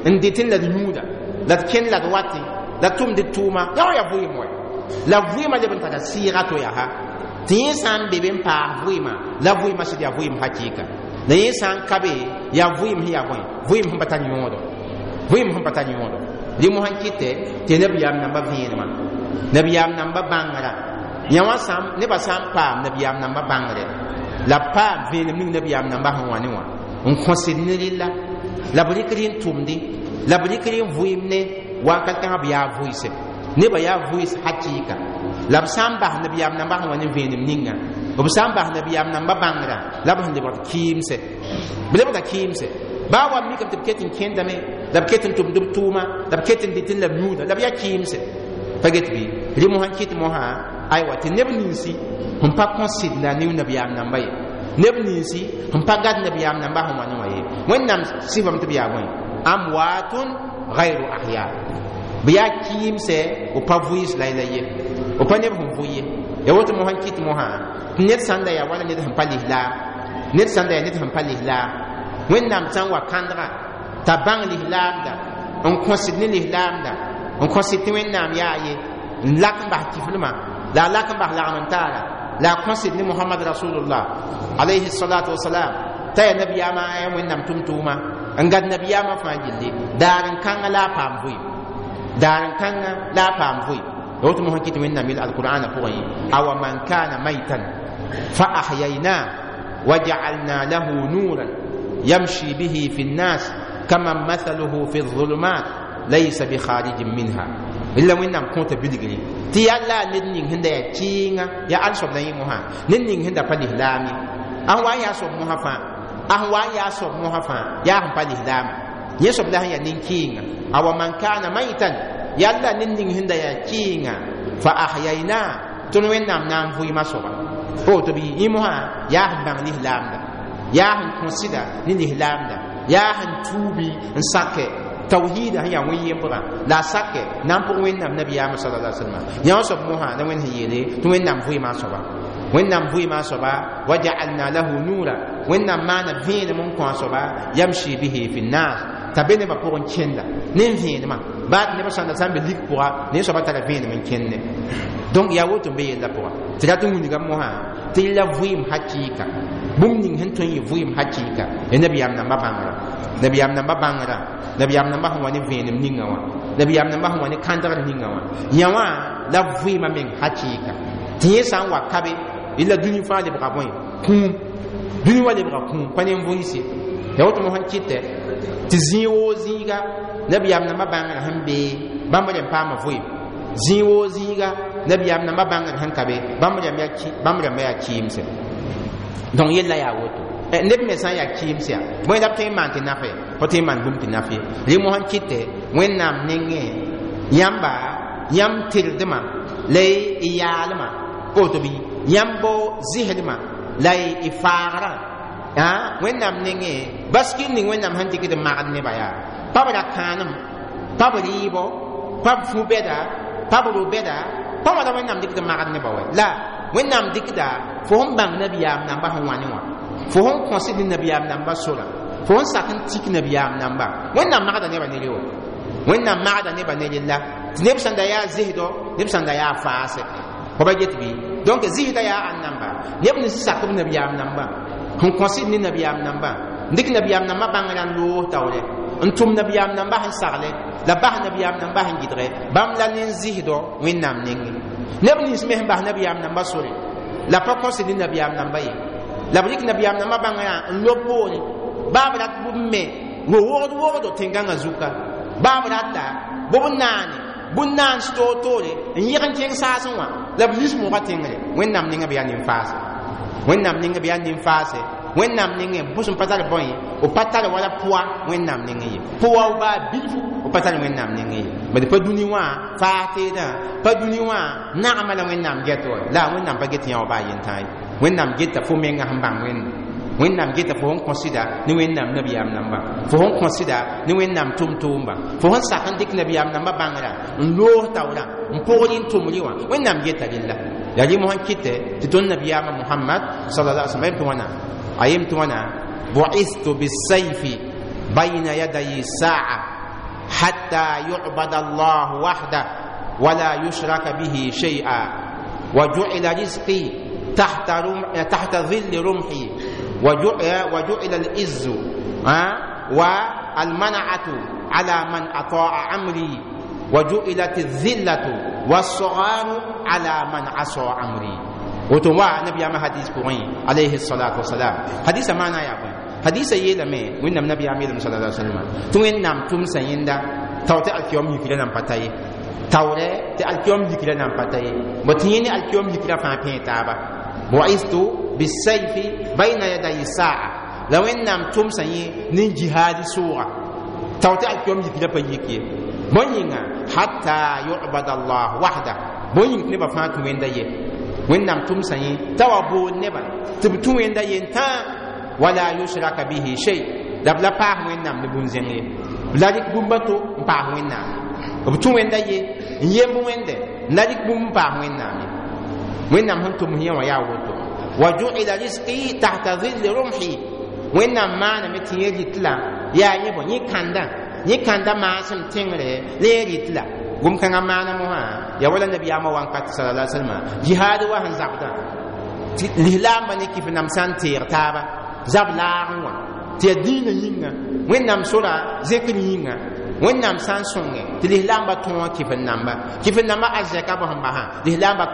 n dɩtẽ la d yũuda la d kẽnd la d watẽ la d tʋmd d tʋʋma yã wã yaa vʋɩɩm wɛ la vʋɩɩmã leb n tara sɩɩga to yaa ha tɩ yẽ sã n be be n paas vʋɩɩmã la vʋɩɩmã sɩd yaa vʋɩɩm hakɩɩka la yẽ sã n ka be yaa vʋɩɩm sẽn yaa bõe vʋɩɩm sẽn pa tar yõodo, vʋɩɩm sẽn pa tar yõodo. Rẽ mosã n kɩtɛ tɩ nabiyaam namba vẽenemã, nabiyaam namba bãngrã yã wã sã nebã sã n paam nabiyaam namba bãngre la b paam vẽenem ning nabiyaam namba sẽn wa ne wã n kõsd ne rɩlla la b rɩk rẽ n tʋmdẽ la b rɩk rẽ n vʋɩɩmne wakat kãngã b yaa vʋɩse nebã yaa vʋɩs hakɩɩka la b sã n bas nabiyaam namba sẽn wa ne vẽenem ninga, b sã n bas nabiyaam namba bãngrã la b sẽn lebgd kɩɩmse, b lebgda kɩɩmse Baa wa mikame tɩ b ket n kẽndame, la b ket n tʋmd b tʋʋma, la b ket n dɩtẽ la b yũuda, la b yaa kɩɩmse. Pa get bɩ? Rɩ mosã n kɩt mosã, aywa, tɩ neb ninsi sẽn pa kõ sɩdna ne nabiyaam namba ye, neb ninsi sẽn pa gad nabiyaam namba sẽn wa ne wã ye, Wẽnnaam sɩfame tɩ b yaa bõe? Amwaatun gayru ahya. B yaa kɩɩmsɛ, b pa vʋɩɩs la ye, b pa neb sẽn vʋ ye. Ya woto mosã n kɩt mosã tɩ ned sãn da yaa wala ned sẽn pa lislaam, ned sãn da yaa ned sẽn pa lislaam, Wẽnnaam sã n wa kãndga t'a bãng lislaamda, n kõsd ne lislaamda, n kõsd tɩ Wẽnnaam yaa ye, n lak n bas kiflmã, la a lak n bas lagm n taara, la a kõsd ne Mohamad rasulullah alayhi salatu wasalam, t'a yaa nabiyaamã a Wẽnnaam tʋm-tʋʋma, n gad nabiyaamã fãa gilli, daar n kãngã la a paam vʋɩ, daar n kãngã la a paam vʋɩ. Woto mosã kɩt Wẽnnaam yel alqur'ana pʋgẽ: awa man kana maitan fa ahyayna وجعلنا له نورا يمشي به في الناس كمن مثله في الظلمات ليس بخارج منها. إلا وين نام كنت بلغري تي الله ندين هندا يا كينغا يا أنصب نعيم مها ندين هندا فلي لامي أهوا يا صب مها فا أهوا يا صب مها فا يا هم فلي لام يصب لها يا نين كينغا أو من كان ميتا يلا ندين هندا يا كينغا فأحيينا تنوين نام نام فوي ما صبا أو تبي إيمها يا هم بان لامدا يا هم كونسيدا ني لامدا يا هم توبي نساك توحيد هي وين يبغى لا ساك نام بو وين نام نبي صلى الله عليه وسلم يا صب موها نوين هي توين نام فوي ما صبا وين نام فوي ما صبا وجعلنا له نورا وين نام ما نفين من كون صبا يمشي به في الناس تبين ما بورن كندا نين فين ما بعد نبى سان سان بليك بوا نين صبا ترى من كندا donc ya woto be yella pʋga tɩ rat n wilga mosã tɩ la vɩɩm hakɩɩka bũmb ning sẽn tõe n yɩ vɩɩm hakɩɩka ya nabiyaam nambã bãngrã, nabiyaam nambã bãngrã, nabiyaam nambã sẽn wa ne vẽenem ninga wã, nabiyaam nambã sẽn wa ne kãndgr ninga wã, yã wã la vɩɩmã meng hakɩɩka. Tɩ yẽ sã n wa kabe la dũni fãa lebga bõe? Kũum. Dũni wã lebga kũum, pa ne n vʋɩɩse. Ya woto mosã n kɩtɛ tɩ zĩig woo zĩiga nabiyaam nambã bãngrã sẽn bee bãmb rẽm paama vɩɩm, zĩig woo zĩiga nabiyaam nambã bãngr sẽn ka be bãmb rãmbã yaa kɩɩmse. Donc yella yaa woto neb me sã n yaa kɩɩms yaa bõe la b tõe n maan tɩ nafe, pa tõe n maan bũmb tɩ naf ye. Rẽ mosã n kɩtɛ Wẽnnaam nengẽ yãmba yãmb tɩrdmã la y yaalmã woto bɩ yãmb zɩsdmã la y faagrã Wẽnnaam nengẽ baskir ning Wẽnnaam sẽn dɩkd n magd nebã yaa pa b ra kãanem, pa b rɩɩbɔ, pa b fu-bɛda, pa b ro-bɛda, pa wãna Wẽnnaam dɩkd n magd nebã wɛ. La Wẽnnaam dɩkda fo sẽn bãng nabiyaam namba sẽn wa ne wã, fo sẽn kõsd ne nabiyaam namba sora, fo sẽn sak n tik nabiyaam namba. Wẽnnaam magda nebã ne re wa, Wẽnnaam magda nebã ne rella tɩ neb sẽn da yaa zɩsdɔ, neb sẽn da yaa faase. Fo ba get bɩ? Donc zɩsda yaa ãn namba? Neb nins sak b nabiyaam namba, sẽn kõsd ne nabiyaam namba, n dɩk nabiyaam namba bãngrã n loos taoore, n tʋm nabiyaam namba sẽn sagle, la bas nabiyaam namba sẽn gɩdge bãmb la nin-zɩsdɔ Wẽnnaam nengẽ. Neb nins me sẽn bas nabiyaam namba sore la pa kõsd ne nabiyaam namba ye, la b rɩk nabiyaam namba bãngrã n lob poore, baa b rat bʋ me ro-wogd wogdo tẽn-gãngã zuka, baa b rata bʋ b naane bũn-naans toor-toore n yɩg n kẽng saasẽ wã, la b lis mogã tẽngre. Wẽnnaam nengẽ b yaa nin-faase, Wẽnnaam nengẽ b yaa nin-faase. Wẽnnaam nengẽ bʋs n pa tar bõe, b pa tar wala pʋa Wẽnnaam nengẽ ye, pʋa b baa bilfu b pa tar Wẽnnaam nengẽ ye. Bad pa dũni wã faas teedã, pa dũni wã nagmã la Wẽnnaam get wa, la Wẽnnaam pa get yã wa baa yentã ye. Wẽnnaam geta fo menga sẽn bãng Wẽnnaam, Wẽnnaam geta fo sẽn kõsda ne Wẽnnaam nabiyaam namba, fo sẽn kõsda ne Wẽnnaam tʋm-tʋʋmba, fo sẽn sak n dɩk nabiyaam namba bãngrã n loos taoorã n pʋgr n tʋmrɩ wã. Wẽnnaam geta rella. Yaa rɩ mosã n kɩtɛ tɩ tõnd nabiyaamã Mohamad sallallahu alaihi wasallam tɩ wãna a yem tɩ wãna: bu'istu bisayfi bayna yaday sa'a hatta yu'bada Allah wahda wala yushraka bihi shay'a wa ju'ila rizqi tahta dhilli rumhi wa ju'ila al-izzu wa al-man'atu ala man ata'a amri wa ju'ilat adh-dhillatu was-sagharu ala man 'asa amri. Woto wa nabiyaama hadis pʋgẽ alayhi salatu wasalam. Hadisa maana yaa bõe? Hadisa yeelame Wẽnnaam nabiyaam yeelame sallallahu alaihi wasallam tɩ Wẽnnaam tʋmsa yẽnda tao tɩ alkiyom yikra nan pa ta ye, taoorɛ tɩ alkiyom yikra nan pa ta ye, bõ tɩ yẽ ne alkiyom yikra fãa pẽe taaba. Bu'istu bisayfi bayna yaday sa'a, La Wẽnnaam tʋmsa yẽ ne jihaadi sʋʋga tao tɩ alkiyom yik la pa yik ye. Bõe yĩnga hatta yubada allah wahda, bõe yĩng tɩ nebã fãa tũ Wẽnda ye. Wẽnnaam tʋmsa yẽ t'a wa bood nebã tɩ b tũ Wẽnda yen tãa, wala yushraka bihi shay, la b la paas Wẽnnaam ne bũmb-zẽng ye, b la rɩk bũmb a to n paas Wẽnnaam. B tũ Wẽnda ye n yemb Wẽnde n la rɩk bũmb n paas Wẽnnaam ye. Wẽnnaam sẽn tʋms yẽ wã yaa woto. Wa ju'ila risqi tahta dhilli rumhi, Wẽnnaam maaname tɩ yẽ rɩt la yaa yẽ bõ yẽ kãnda maasem tẽngre la yẽ rɩt la gom-kãngã maana mosã ya wala nabiyaamã wãnkat sallallahu alaihi wasallam jihaad wa sẽn zabdã tɩ lislaambã ne kɩf nam sã n teeg taaba zab laag n wã tɩ yaa dĩinã yĩnga Wẽnnaam sora zẽkr yĩnga. Wẽnnaam sã n sõnge tɩ lislaambã tõog kɩf n namba arzɛka bõ sẽn basã lislaambã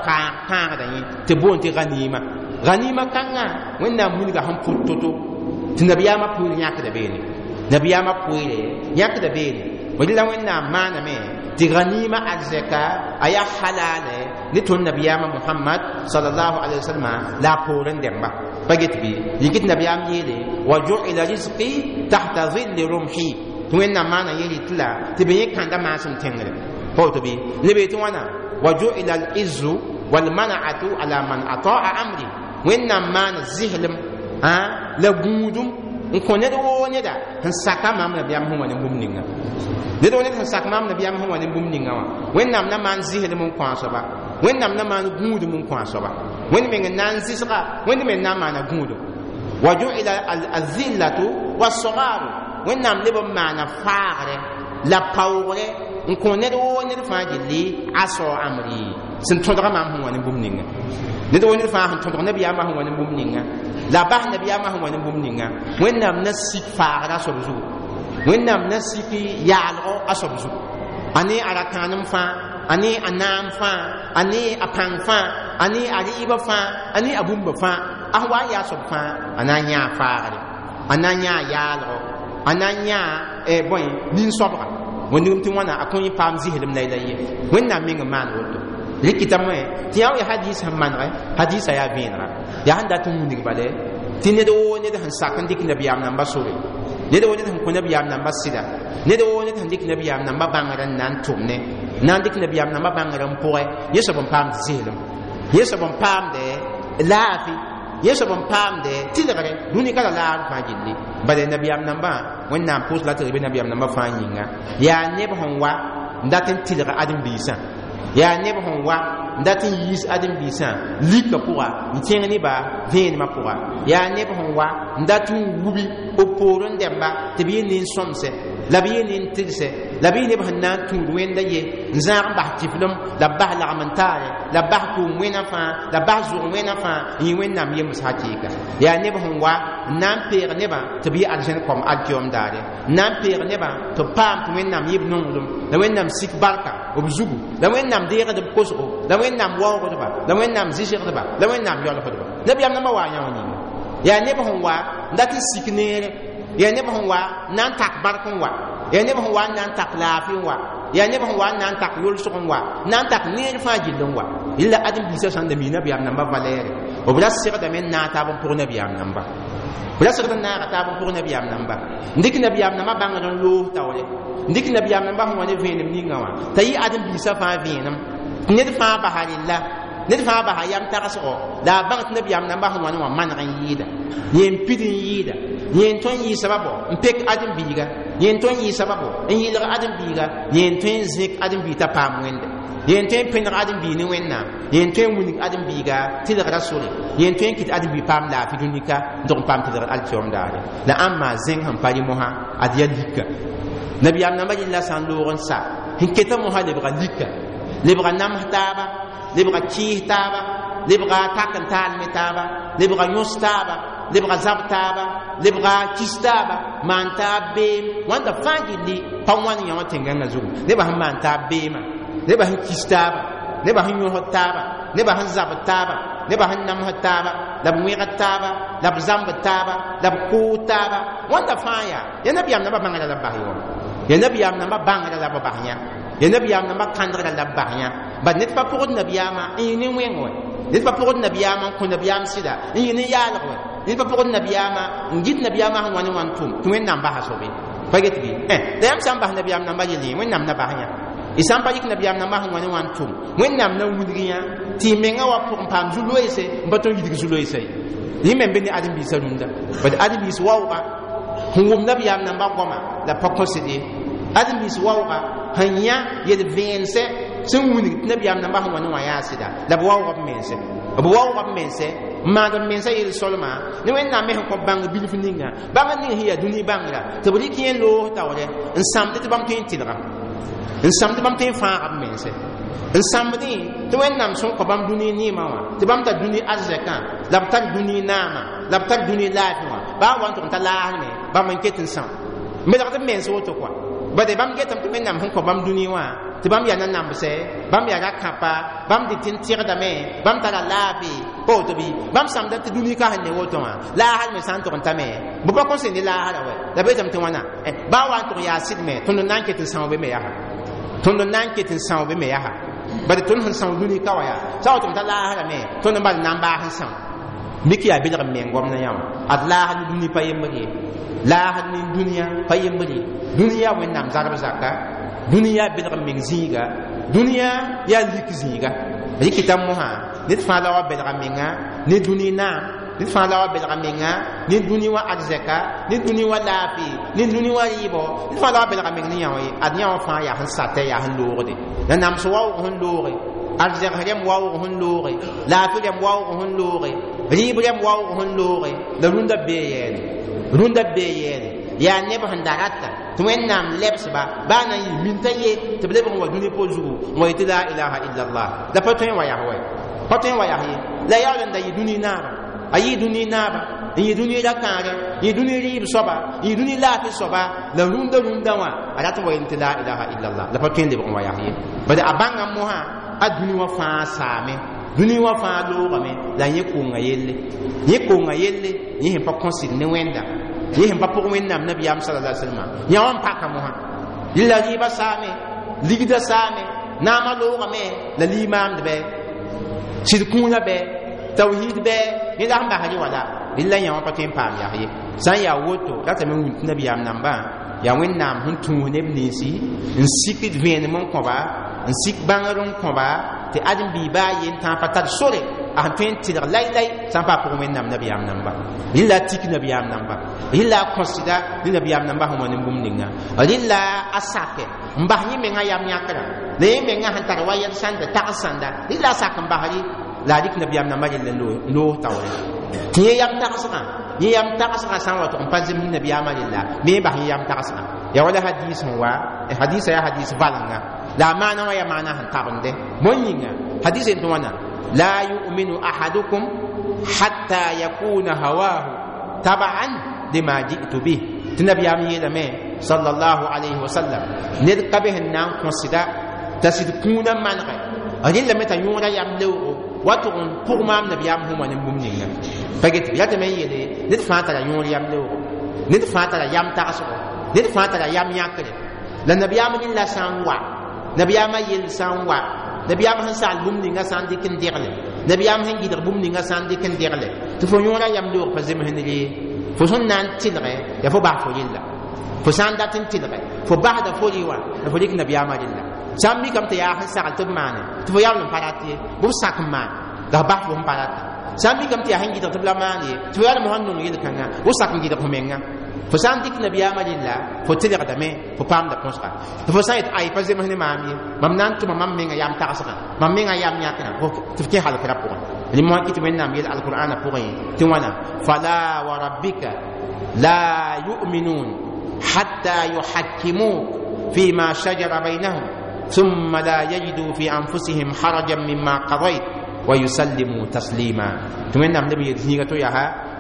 kãagda yẽ tɩ boond tɩ ganima ganima kãngã Wẽnnaam wilga sẽn pʋt to-to tɩ nabiyaamã pʋɩr yãkda beene, nabiyaamã pʋɩre yãkda beene. La Wẽnnaam maaname tɩ ganima arzɛka a yaa halale ne tõnd nabiyaamã Mohamad sallallahu alaihi wasallam la a poorẽ dẽmba pa get bɩ yikɩ tɩ nabiyaam yeele wa ju'ila rizqi tahta dhilli rumhi, tɩ Wẽnnaam maana yẽ rɩt la tɩ b yẽ kãnda maasem tẽngre pa woto bɩ lebe tɩ wãna wa ju'ila al-izzu walmana'atu ala man ata'a amri. Wẽnnaam maana zɩslem la gũudum n kõ ned woo neda sẽn saka maam nabiyaam sẽn wa ne bũmb ninga, ned woo ned sẽn sak maam nabiyaam sẽn wa ne bũmb ninga wã. Wẽnnaam na maan zɩslem n kõ a soaba, Wẽnnaam na maan gũudum n kõ a soaba, Wẽnd meng n na n zɩsga, Wẽnd meng na n maana gũudum. Wa ju'ila azillatu wasagaru, Wẽnnaam leb n maana faagre la paoogre n kõ ned woo ned fãa gilli asao amri sẽn tõdga maam sẽn wa ne bũmb ninga, ned woo ned fãa sẽn tõdg nabiyaamã sẽn wa ne bũmb ninga la bas nabiyaamã sẽn wa ne bũmb ninga. Wẽnnaam na sik faagra a soab zugu, Wẽnnaam na sik yaalgo a soab zugu, a ne a ra-kãanem fãa, a ne a naam fãa, a ne a pãng fãa, a ne a rɩɩbã fãa, a ne a bũmba fãa. A sẽn wa n yaa soab fãa a na n yãa faagre, a na n yãa yaalgo, a na n yãa bõe nin-soabga wẽndgem tɩ wãna a kõ yẽ paam zɩslem la ye. Wẽnnaam meng n maan woto rɩkɩtame tɩ yã ya hadis sẽn manegɛ hadisa yaa vẽenega yaa sẽn dat n wilg bale tɩ ned woo ned sẽn sak n dɩk nabiyaam namba sore, ned woo ned sẽn kõ nabiyaam namba sɩda, ned woo ned sẽn dɩk nabiyaam namba bãngr n na n tʋmne, na n dɩk nabiyaam namba bãngr n pʋgɛ, yẽ soab n paamd zɩslem, yẽ soab n paamdɛ laafɩ, yẽ soab n paamdɛ tɩlgre dũni ka la laag fãa gilli. Bala nabiyaam nambã Wẽnnaam pʋʋs la tɩ b nabiyaam nambã fãa yĩnga yaa neb sẽn wa n dat n tɩlg ãdem-biisã, yaa neb sẽn wa n dat n yiis ãdem-biisã lika pʋga n kẽng nebã vẽenemã pʋga, yaa neb sẽn wa n dat n wubi b poorẽ dẽmba tɩ b yɩ nin-sõmsɛ la b yɩ nin-tɩgsɛ la b yɩ neb sẽn na n tũud Wẽnda ye n zãag n bas kiflem la b bas lagm n taare la b bas kʋʋm wẽna fãa la b bas zʋg wẽna fãa n yɩ Wẽnnaam yems hakɩɩka, yaa neb sẽn wa n na n peeg nebã tɩ b yɩ arzẽn kom alkiyom daare, n na n peeg nebã tɩ b paam tɩ Wẽnnaam yɩ b nonglem la Wẽnnaam sik barka b zugu la Wẽnnaam deegd b kosgo la Wẽnnaam waoogdba la Wẽnnaam zɩsgdba la Wẽnnaam yɔlsdba. Nabiyaam nambã waa yã wã yĩnga yaa neb sẽn wa n dat n sik neere, yaa neb sẽn wa n na n tak bark n wa, yaa neb sẽn wa n na n tak laafɩ n wa, yaa neb sẽn wa n na n tak yolsg n wa, n na n tak neer fãa gill n wa. Yella ãdem-biisã sãn da mi nabiyaam namba valɛɛre b ra segdame n naag taab n pʋg nabiyaam namba, b ra segd n naaga taab n pʋg nabiyaam namba, n dɩk nabiyaam namba bãngr n loos taoore, n dɩk nabiyaam namba sẽn wa ne vẽenem ninga wã t'a yɩ ãdem-biisã fãa vẽenem tɩ ned fãa basa rella, ned fãa basa yam tagsgo la a bãng tɩ nabiyaam namba sẽn wa ne wã maneg n yɩɩda, yẽ n pid n yɩɩda, yẽ n tõe n yɩ sababo n pek ãdem-biiga, yẽ n tõe n yɩ sababo n yɩlg ãdem-biiga, yẽ n tõe n zẽk ãdem-biig t'a paam Wẽnde, yẽ n tõe n pẽneg ãdem-biig ne Wẽnnaam, yẽ n tõe n wilg ãdem-biiga tɩlgra sore, yẽ n tõe n kɩt ãdem-biig paam laafɩ dũnika n tog n paam tɩlgr alkiyom daare. La ãmba zẽng sẽn pa rɩ mosã ad yaa lika nabiyaam namba rɩlla sã n loog n sa sẽn keta mosã lebga lika, lebga nams taaba, lebga kɩɩs taaba, lebga tak n taalme taaba, lebga yõs taaba, lebga zab taaba, lebga kis taaba, maan taab beem wãnda fãa gilli pa wãn yã wã tẽn-gãngã zugu. Nebã sẽn maan taab beemã, nebã sẽn kis taaba, nebã sẽn yõsd taaba, nebã sẽn zabd taaba, nebã sẽn namsd taaba, la b wẽgd taaba, la b zãmbd taaba, la b kʋʋd taaba, wãnda fãa yaa ya nabiyaam nambã bãngrã la b bas yõ, ya nabiyaam nambã bãngrã la b bas yã, ya nabiyaam nambã kãndgrã la b bas yã. Bad ned pa pʋgd nabiyaamã n yɩ ne wẽng wɛ, ned pa pʋgd nabiyaamã n kõ nabiyaam sɩda n yɩ ne yaalg wɛ, ned pa pʋgd nabiyaamã n gɩt nabiyaamã sẽn wa ne wã n tʋm tɩ wẽnnaam basa sobe pa get bɩ la yãmb sã n bas nabiyaam nambã yell yẽ wẽnnaam na bas yã y sã n pa rɩk nabiyaam nambã sẽn wa ne wã n tʋm wẽnnaam na wilg yã tɩ y menga wa pʋgẽ paam zu-loeese n pa tõe n yidg zu-loeesa ye yẽ me n be ne ãdem-biisã rũndã bad ãdem-biis waooga sẽn wʋm nabiyaam nambã goama la pa kõsd ye ãdem-biis waooga sẽn yã yel-vẽensɛ sẽn wilg tɩ nabiyaam nambã sẽn wa ne wã yaa sɩda la b waooga b mense b waooga b mense n maag b mensã yel-solmã ne wẽnnaam me sẽn kõ bãng bilf ninga bãngd ning sẽn yaa dũni bãngra tɩ b rɩk yẽ loos taoore n sãmd tɩ bãmb tõe n tɩlga n sãmd bãmb tõe n fãaga b mense n sãmbdẽ tɩ wẽnnaam sẽn kõ bãmb dũni neemã wã tɩ bãmb tar dũni arzɛkã la b tar dũni naamã la b tar dũni laafɩ wã baa wa n tʋg n ta laasme bãmb n ket n são melgd b mens woto kɔa bade bãmb getame tɩ wẽnnaam sẽn kõ bãmb dũni wã tɩ bãmb yaa nanambsɛ bãmb yaa ra-kãpa bãmb dɩt n tɩgdame bãmb tara laafɩ pa woto bɩ bãmb sãmda tɩ dũni ka sẽn ne woto wã laasr me sã n tʋg n tame bɩ pa kõn sẽn ne laasra wɛ la beetame tɩ wãna baa wa n tʋg yaa sɩd me tõnd n na n ket n são be me yaa tõnd n na n ket n são be me yaa bad tõnd sẽn são dũni ka wã yaa sã wa tʋg n ta laasra me tõnd n bal n na n baas n são mik yaa belg n meng gomdã yã wã ad laasr ne dũni pa yembr ye laasr ne dũniyã pa yembr ye dũni yaa wẽnnaam zarb zaka dũni yaa belg n meng zĩiga dũniyã yaa lik zĩiga rɩkɩta mosã ned fãa la wa belga menga ne dũni naam ned fãa la wa belga menga ne dũni wã arzɛka ne dũni wã laafɩ ne dũni wã rɩɩbɔ ned fãa la wa belga meng ne yã wã ye ad yã wã fãa yaa sẽn satɛ yaa sẽn loogde la nams waoog sẽn looge arzɛgs rẽmb waoog sẽn looge laafɩ rẽmb waoog sẽn looge rɩɩb rẽmb waoog sẽn looge la rũndã bee yɛɛne rũndã bee yɛɛne yaa neb sẽn da rata tɩ wẽnnaam lebsba baa na n yɩ minta ye tɩ b lebg n wa dũni po zugu n wa yetɩ la ilaha illallah la pa tõe n wa yaa wɛ pa tõe n wa yaa ye la yaool n da yɩ dũni naaba a yɩ dũni naaba n yɩ dũni ra-kãagɛ n yɩ dũni rɩɩb soaba n yɩ dũni laafɩ soaba la rũndã rũndã wã a rat n wa yel tɩ la ilaha illallah la pa tõe n lebg n wa yaa ye bad a bãnga mosã a dũni wã fãa saame dũni wã fãa loogame la yẽ konga yelle yẽ konga yelle yẽ sẽn pa kõsd ne wẽnda yẽ sẽn pa pʋg wẽnnaam nabiyaam sala salma yã wã n paka mosã la rɩɩbã saame ligdã saame naamã loogame la limaamd bɛ sɩd kũunã bɛ tawhid bɛ yẽ la sẽn basr wala rɩla yã wã pa tõe n paam yaa ye sã n yaa woto ratame n wĩnd tɩ nabiyaam nambã yaa wẽnnaam sẽn tũus neb ninsi n sikd vẽenem n kõba n sik bãngr n kõba tɩ ãdem-biig baa yen tãa pa tar sore a sẽn tõe n tɩlg lai-lai sã n paa pʋgẽ wẽnnaam nabiyaam namba rɩla a tik nabiyaam namba rɩla a kõsda ne nabiyaam namba sẽn wa ne bũmb ninga rɩla a sake n bas yẽ menga yam yãkrã la yẽ menga sẽn tar wa yɛl sãnda tags sãnda rɩla a sak n basri la a rɩk nabiyaam namba rel n loos taoore tɩ yẽ yam tagsgã yẽ yam tagsgã sã n wa tʋg n pa zems nabiyaamã rella me yẽ bas yẽ yam tagsgã ya wala hadis sẽn wa hadisa yaa hadis valenga la a maana wã yaa maana sẽn tabende bõe yĩnga hadis n tɩ wãna la yuminu ahadukum hatta yakuna hawahu tabaan lima ji'tu bih tɩ nabiyaam yeelame sallallahu alayhi wa sallam ned ka be sẽn na n kõsda t'a sɩd kũunã manegɛ rẽllame t'a yõoda yam leoogo wa tʋg n pʋg maam nabiyaam sẽn wa ne bũmb ninga pa get bɩ yatame n yeele ned fãa tara yõor yam leoogo ned fãa tara yam tagsgo ned fãa tara yam yãkre la nabiyaam rẽlla sã n wa nabiyaamã yell sã n wa nabiyaam sẽn sagl bũmb ninga sã n dɩk n degle nabiyaam sẽn gɩdg bũmb ninga sã n dɩk n degle tɩ fo yõora yam leoog pa zems ne ye fo sẽn na n tɩlgɛ yaa fo bas fo yella fo sã n dat n tɩlgɛ fo basda fo rɩ wã la fo dɩk nabiyaamã rella sã n mikame tɩ yaa sẽn sagl tɩ b maane tɩ fo yaool n pa rat ye bɩ b sak n maan la f bas fo sẽn pa rata sã n mikame tɩ yaa sẽn gɩdg tɩ b la maan ye tɩ fo yaool mosã n nong yel-kãngã b sak n gɩdg fo menga fo sã n dɩk nabiyaamã rella fo tɩlgdame fo paamda põsga tɩ fo sã n yet ay pa zems ne maam ye mam na n tʋma mam menga yam tagsgã mam menga yam yãkrã tɩ f kẽ halkrã pʋgẽ rẽ mosã kɩ tɩ wẽnnaam yel alqur'ana pʋgẽ tɩ wãna fala wa rabbika la yu'minun hatta yuhakkimuk فيما شجر بينهم ثم لا يجدوا في أنفسهم حرجا مما قضيت ويسلموا تسليما تمنى النبي يتزنيغة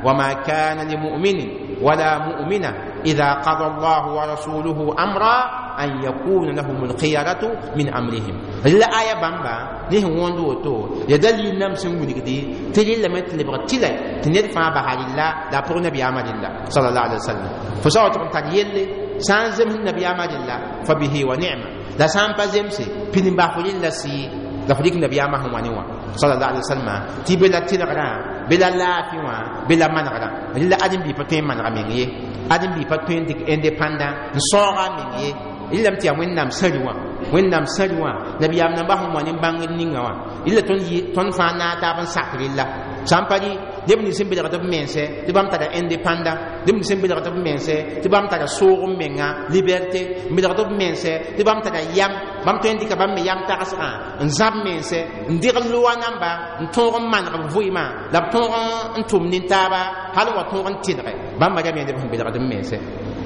وما كان لمؤمن ولا مؤمنة إذا قضى الله ورسوله أمرا أن يكون لهم الخيرة من أمرهم لا آية بامبا نه وندو تو يدل نم سنغدي تجي لما تلبغ تلي تندفع بحال الله لا بور نبي عمل الله صلى الله عليه وسلم فسوى تقول سان زم النبي عمل الله فبه ونعمة لا سان بازمسي بين بافولين لا سي la fo dɩk nabiyaamã sẽn wa ne wã sallallahu alaihi wasallam tɩ be la tɩlgrã bɩ la laafɩ wã bɩ la manegrã rɩla ãdem-biig pa tõe n manega meng ye ãdem-biig pa tõe n dɩk indépendant n sãooga a meng ye rɩlame tɩ yaa wẽnnaam sãri wã wẽnnaam sãri wã nabiyaam nambã sẽn wa ne bãngr ninga wã rɩla tõnd fãa naag taab n sak rella sã n pa rɩ neb nins sẽn belgd b mense tɩ bãmb tara indépendant neb nins sẽn belgd b mense tɩ bãmb tara soog n menga liberté n belgd b mense tɩ bãmb tara yam bãmb tõe n dɩka bãmb me yam tagsgã n zãb mense n dɩg loa namba n tõog n maneg b vɩɩmã la b tõog n tʋm nin-taaba hal n wa tõog n tɩlge bãmba rame neb sẽn belgd b mense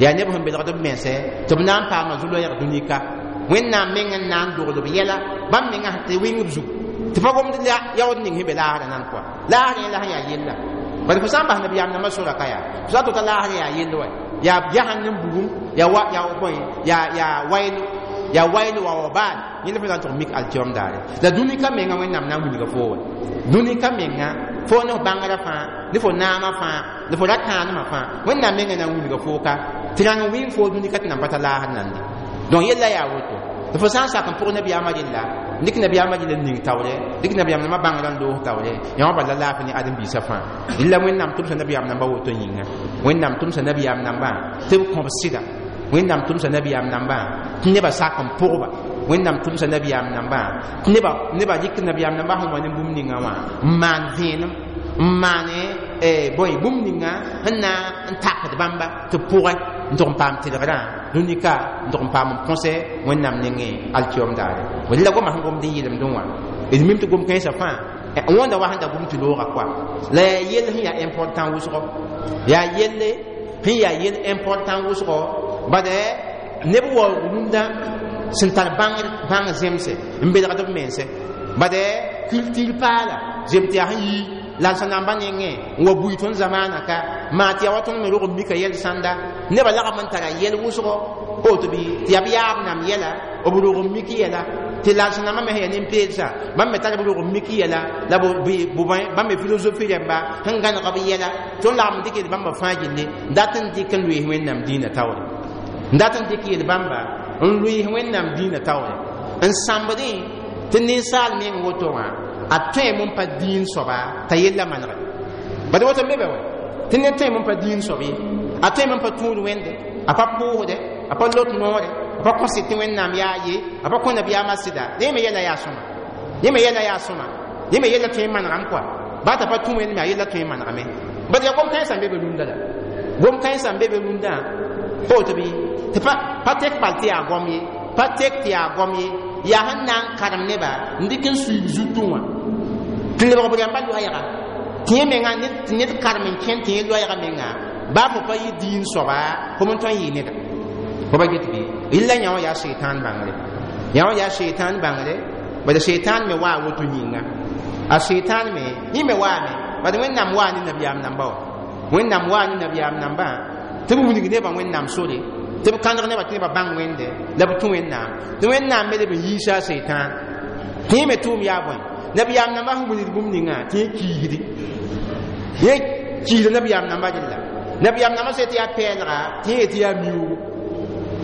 yaa neb sẽn belgd b mense tɩ b na n paama zu-loɛɛg dũnika wẽnnaam meng n na n dogl b yɛla bãmb menga sẽn tɩ wɩng b zug tɩ pa gomd yaood ning sẽn be laasrã nan kɔa laasrã yẽla sẽn yaa yella bad fo sã n bas nabiyaam nambã sora ka yaa fo sã n tota laasrã yaa yell wa yaa jahannam bugum yaa wa yaa bõe yaa yaa waylo yaa waylo wa wabal yẽnd fo na n tʋg mik alkiom daare la dũnika menga wẽnnaam na n wilga foo wa dũnika menga fo ne f bãngrã fãa ne fo naamã fãa la fo ra kãanemã fãa wẽnnaam menga na n wilga foo ka tɩ rãng wɩng foo dũnika tɩ nan pa ta laasr nande donc yella yaa woto tɩ fo sã n sak n pʋg nabiyaamã rella dɩk nabiyaamã rɩla n ning taoore dɩk nabiyaam nambã bãngrã n loos taoore yã wã bala laafɩ ne ãdem-biisã fãa rɩla wẽnnaam tʋmsa nabiyaam nambã woto yĩnga wẽnnaam tʋmsa nabiyaam nambã tɩ b kõb sɩda wẽnnaam tʋmsa nabiyaam nambã tɩ nebã sak n pʋgba wẽnnaam tʋmsa nabiyaam nambã tɩ nebã dɩk nabiyaam nambã sẽn wa ne bũmb ninga wã n maan vẽenem n maane bõe bũmb ninga sẽn na n takd bãmba tɩ b pʋgẽ n tʋg n paam tɩlgrã dũnika n tʋg n paam n põse wẽnnaam nengẽ alkiom daare rɩla goma sẽn gomd n yɩlemdẽ wã d mim tɩ gom kãensã fãa wõnda wa sẽn da gom tɩ looga koa la yaa yell sẽn yaa important wʋsgo yaa yelle sẽn yaa yell important wʋsgo bad neb waoog rũndã sẽn tar bãng zemse n belgd b mense bad culture paala zem tɩ yaa sẽn yi la sẽn namba nengẽ n wa bui tõnd zamaana ka maa tɩ yaa wa tõnd me rog n mika yɛl sãnda nebã lagm n tara yɛl wʋsgo woto bɩ tɩ yaa b yaab nam yɛla b rog n mik yɛla tɩ la sẽn nambã me sẽn yaa nin-peelsã bãmb me tar b rog n mik yɛla la bãmb me philosophie rẽmba sẽn gãneg b yɛla tõnd lagm n dɩk yel bãmba fãa gilli n dat n dɩk n loees wẽnnaam dĩinã taoore n dat n dɩk yel bãmba n loees wẽnnaam dĩinã taoore n sãmbdẽ tɩ ninsaal meng woto wã a tõeme n pa dĩin soaba t'a yella manege bad woto n be be wɛ tɩ ned tõeme n pa dĩin soab ye a tõeme n pa tũud wẽnde a pa pʋʋsde a pa lot noore a pa kõsɩ tɩ wẽnnaam yaa ye a pa kõ nabiyaamã sɩda yẽ me yɛla yaa sõma yẽ me yɛla yaa sõma yẽ me yɛla tõe n manegame kɔa baa t'a pa tũ wẽnd me a yella tõe n manegame bad yaa gom-kãensã n be be rũndã la gom-kãensã n be be rũndã pa woto bɩ tɩ pa tek bal tɩ yaa goam ye pa tek tɩ yaa goam ye yaa sẽn na n karem neba n dɩk n suib zutẽ wã tɩ lebg b rãmba loɛɛga tɩ yẽ menga tɩ ned karem n kẽn tɩ yẽ loɛɛga menga baa fo pa yɩ dĩin soaba fo n tõe n yɩ neda fo pa get bɩ rɩla yã wã yaa seitan bãngre yã wã yaa seitan bãngre bad seitan me waa woto yĩnga a seitan me yẽ me waame bad wẽnnaam waa ne nabiyaam namba wã wẽnnaam waa ne nabiyaam nambã tɩ b wilg nebã wẽnnaam sore tɩ b kãneg nebã tɩ nebã bãng wẽnde la b tũ wẽnnaam tɩ wẽnnaam me leb n yiisa a seitan tɩ yẽ me tʋʋm yaa bõe nabiyaam nambã sẽn wilgd bũmb ninga tɩ yẽ kiisdi yẽ kiisda nabiyaam nambã rella nabiyaam nambã sã tɩ yaa pɛɛlga tɩ yẽ tɩ yaa miuugu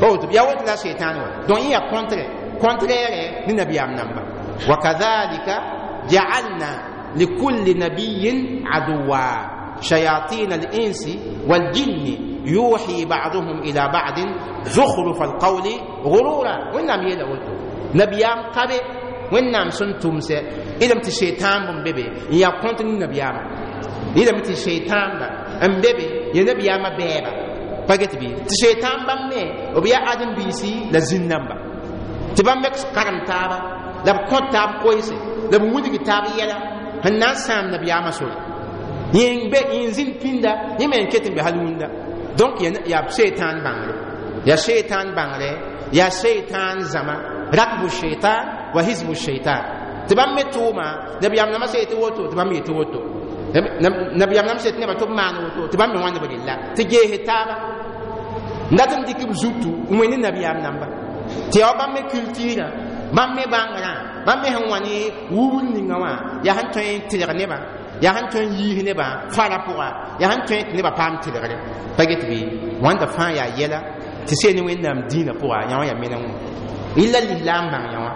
pa woto yaa woto la seitan wa donc yẽ yaa contre contraire ne nabiyaam namba wakadhalika jaalna likulli nabiyin aduwa shayatin al-insi wal-jinni yuhi ba'duhum ila ba'din zukhruf al-qawli ghurura wẽnnaam yeela woto nabiyaam ka be wẽnnaam sẽn tʋmsɛ ilame tɩ seitan bõmb be be n yaa kõnt ne nabiyaamã ilame tɩ seitãnba n be be ya nabiyaamã bɛɛba pa get bɩ tɩ seitan bãmb me b yaa ãdem-biisi la zĩn-namba tɩ bãmb me karem taaba la b kõt taab koeese la b wilg taab yɛla sẽn na n sãam nabiyaamã sore yẽ be yẽ zĩnd pĩnda yẽ me n ket n be hal wũnda donc yaa seitan bãngre yaa seitan bãngre yaa seitan zãma rakbu sheitan wa hizbu sheitan tɩ bãmb me tʋʋma nabiyaam nambã sã yetɩ woto tɩ bãmb yetɩ woto nabiyaam nambã sã yetɩ nebã tɩ b maan woto tɩ bãmb me wãnd b rella tɩ geese taaba n dat n dɩk b zutu n wẽnd nabiyaam namba tɩ yaa wa bãmb me culture bãmb me bãngrã bãmb me sẽn wa ne wubr ninga wã yaa sẽn tõe n tɩlg nebã yaa sẽn tõe n yiis nebã fara pʋga yaa sẽn tõe tɩ nebã paam tɩlgre pa get bɩ wãnda fãa yaa yɛla tɩ seen ne wẽnnaam dĩinã pʋga yã wã yaa meneng wã rɩla lislaam bãng yã wã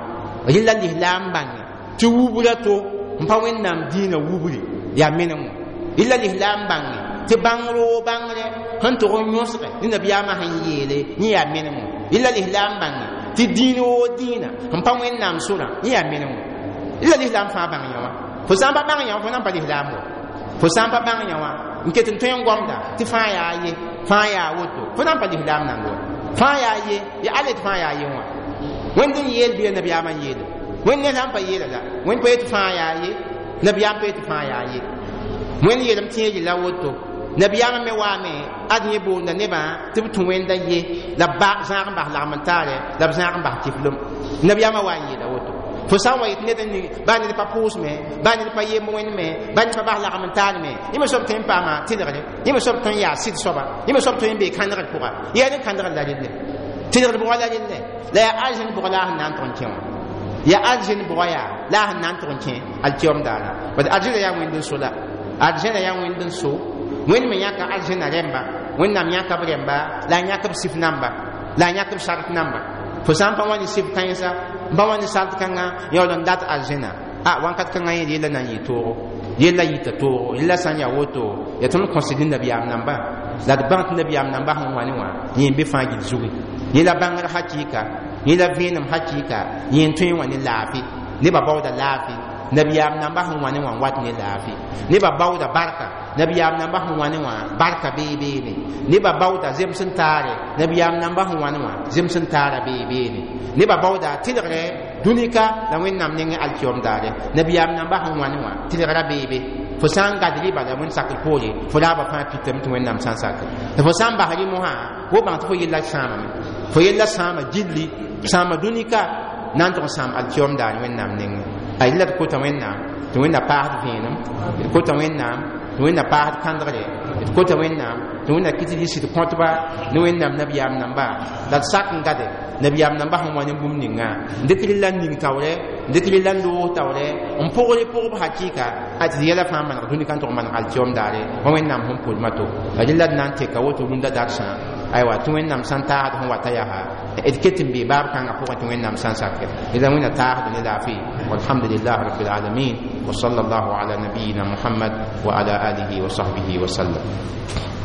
rɩla lislaam bãnge tɩ wubra to n pa wẽnnaam dĩinã wubri yaa meneng wã Yella lislaam bãnge tɩ bãng roog bãngre sẽn tʋg n yõsge ne nabiyaamã sẽn yeele, yẽ yaa menemo. Yella lislaam bãnge tɩ dĩin woo dĩinã sẽn pa Wẽnnaam sorã, yẽ yaa menemo. Yella lislaam fãa bãng yã wã. Fo sã n pa bãng yã wã, fo nan pa lislaam wa. Fo sã n pa bãng yã wã n ket n tõe n gomda tɩ fãa yaa ye, fãa yaa woto, fo nan pa lislaam nang wa. Fãa yaa ye, ya ale tɩ fãa yaa ye wã. Wẽnd n yeel bɩ nabiyaamã n yeele? Wẽnd ne sã n pa yeela la Wẽnd pa yetɩ fãa yaa ye, nabiyaam pa yetɩ fãa yaa ye. Wẽnd yeelem tɩ yẽ yella woto, nabiyaamã me waame ad yẽ boonda nebã tɩ b tũ Wẽnda ye la b zãag n bas lagm n taare, la b zãag n bas kiflem. Nabiyaamã wa n yeela woto. Fo sã n wa yet ned n ning, baa ned pa pʋʋsme, baa ned pa yemb Wẽnd me, baa ned pa bas lagm n taar me, yẽ me soab tõe n paama tɩlgre, yẽ me soab tõe n yaa sɩd soaba, yẽ me soab tõe n bee kãndgr pʋga. Yaa ne kãndgr la relle, tɩlgr bʋga la relle, la yaa arzẽn bʋga la a sẽn na n tʋg n kẽ wã. Yaa arzẽn bʋga yaa la a sẽn na n tʋg n kẽ alkiom daara. Bad arzẽna yaa Wẽnd n so la arzẽna yaa Wẽnd n so. Wẽnd me yãka arzẽna rẽmba, Wẽnnaam yãka b rẽmba, la a yãk b sif namba, la a yãk b sart namba. Fo sã n pa wa ne sif kãensa, n pa wa ne sart kãnga, yaool n dat arzẽna a wãnkat kãngã yẽ yella na n yɩ toogo, yella yita toogo. Yella sã n yaa woto, yaa tõnd kõsd ne nabiyaam namba, la d bãng tɩ nabiyaam namba sẽn wa ne wã, yẽ n be fãa gill zugi. Yẽ la bãngr hakɩɩka, yẽ la vẽenem hakɩɩka, yẽ n tõe n wã ne laafɩ. Nebã baooda laafɩ nabiyaam namba sẽn wa ne wã n wat ne laafɩ. Nebã baooda barka nabiyaam namba sẽn wa ne wã, barka bee beene. Nebã baooda zems n taare nabiyaam namba sẽn wa ne wã, zems n taara bee beene. Nebã baooda tɩlgre dũnika la Wẽnnaam nengẽ alkiom daare nabiyaam namba sẽn wa ne wã, tɩlgra bee be. Fo sã n gad rɩba la Wẽnd sakr poore, fo raaba fãa pitame tɩ Wẽnnaam sã n sakr. La fo sã n bas rɩ mosã, fo bãng tɩ fo yella sãamame, fo yella sãama gilli, sãama dũnika na n tʋg n sãam alkiom daar Wẽnnaam nengẽ. A yella d kota Wẽnnaam tɩ Wẽnna paasd vẽenem, d kota Wẽnnaam tɩ Wẽnna paasd kãndgre, d kota Wẽnnaam tɩ Wẽnna kɩt d yɩ sɩd kõtba ne Wẽnnaam nabiyaam namba, la d sak n gade nabiyaam namba sẽn wa ne bũmb ninga, n dɩk rɩla n ning taoorɛ, n dɩk rɩla n loog taoorɛ, n pʋgre pʋgb hakɩɩka a tɩ d yɛla fãa maneg dũnika n tʋg maneg alkiom daare wa Wẽnnaam sẽn pʋlma to. La rɩla d na n teka woto rũndã darsã. Aywa, tɩ Wẽnnaam sã n taasd sẽn wata yaa d ket n bee baab kãngã pʋgẽ tɩ Wẽnnaam sã n sakɛ rɩla Wẽnna taasd ne laafɩ. Walhamdulillah rabbil alamin, wa sallallahu ala nabiyina Muhammad wa ala alihi wa sahbihi wa sallam.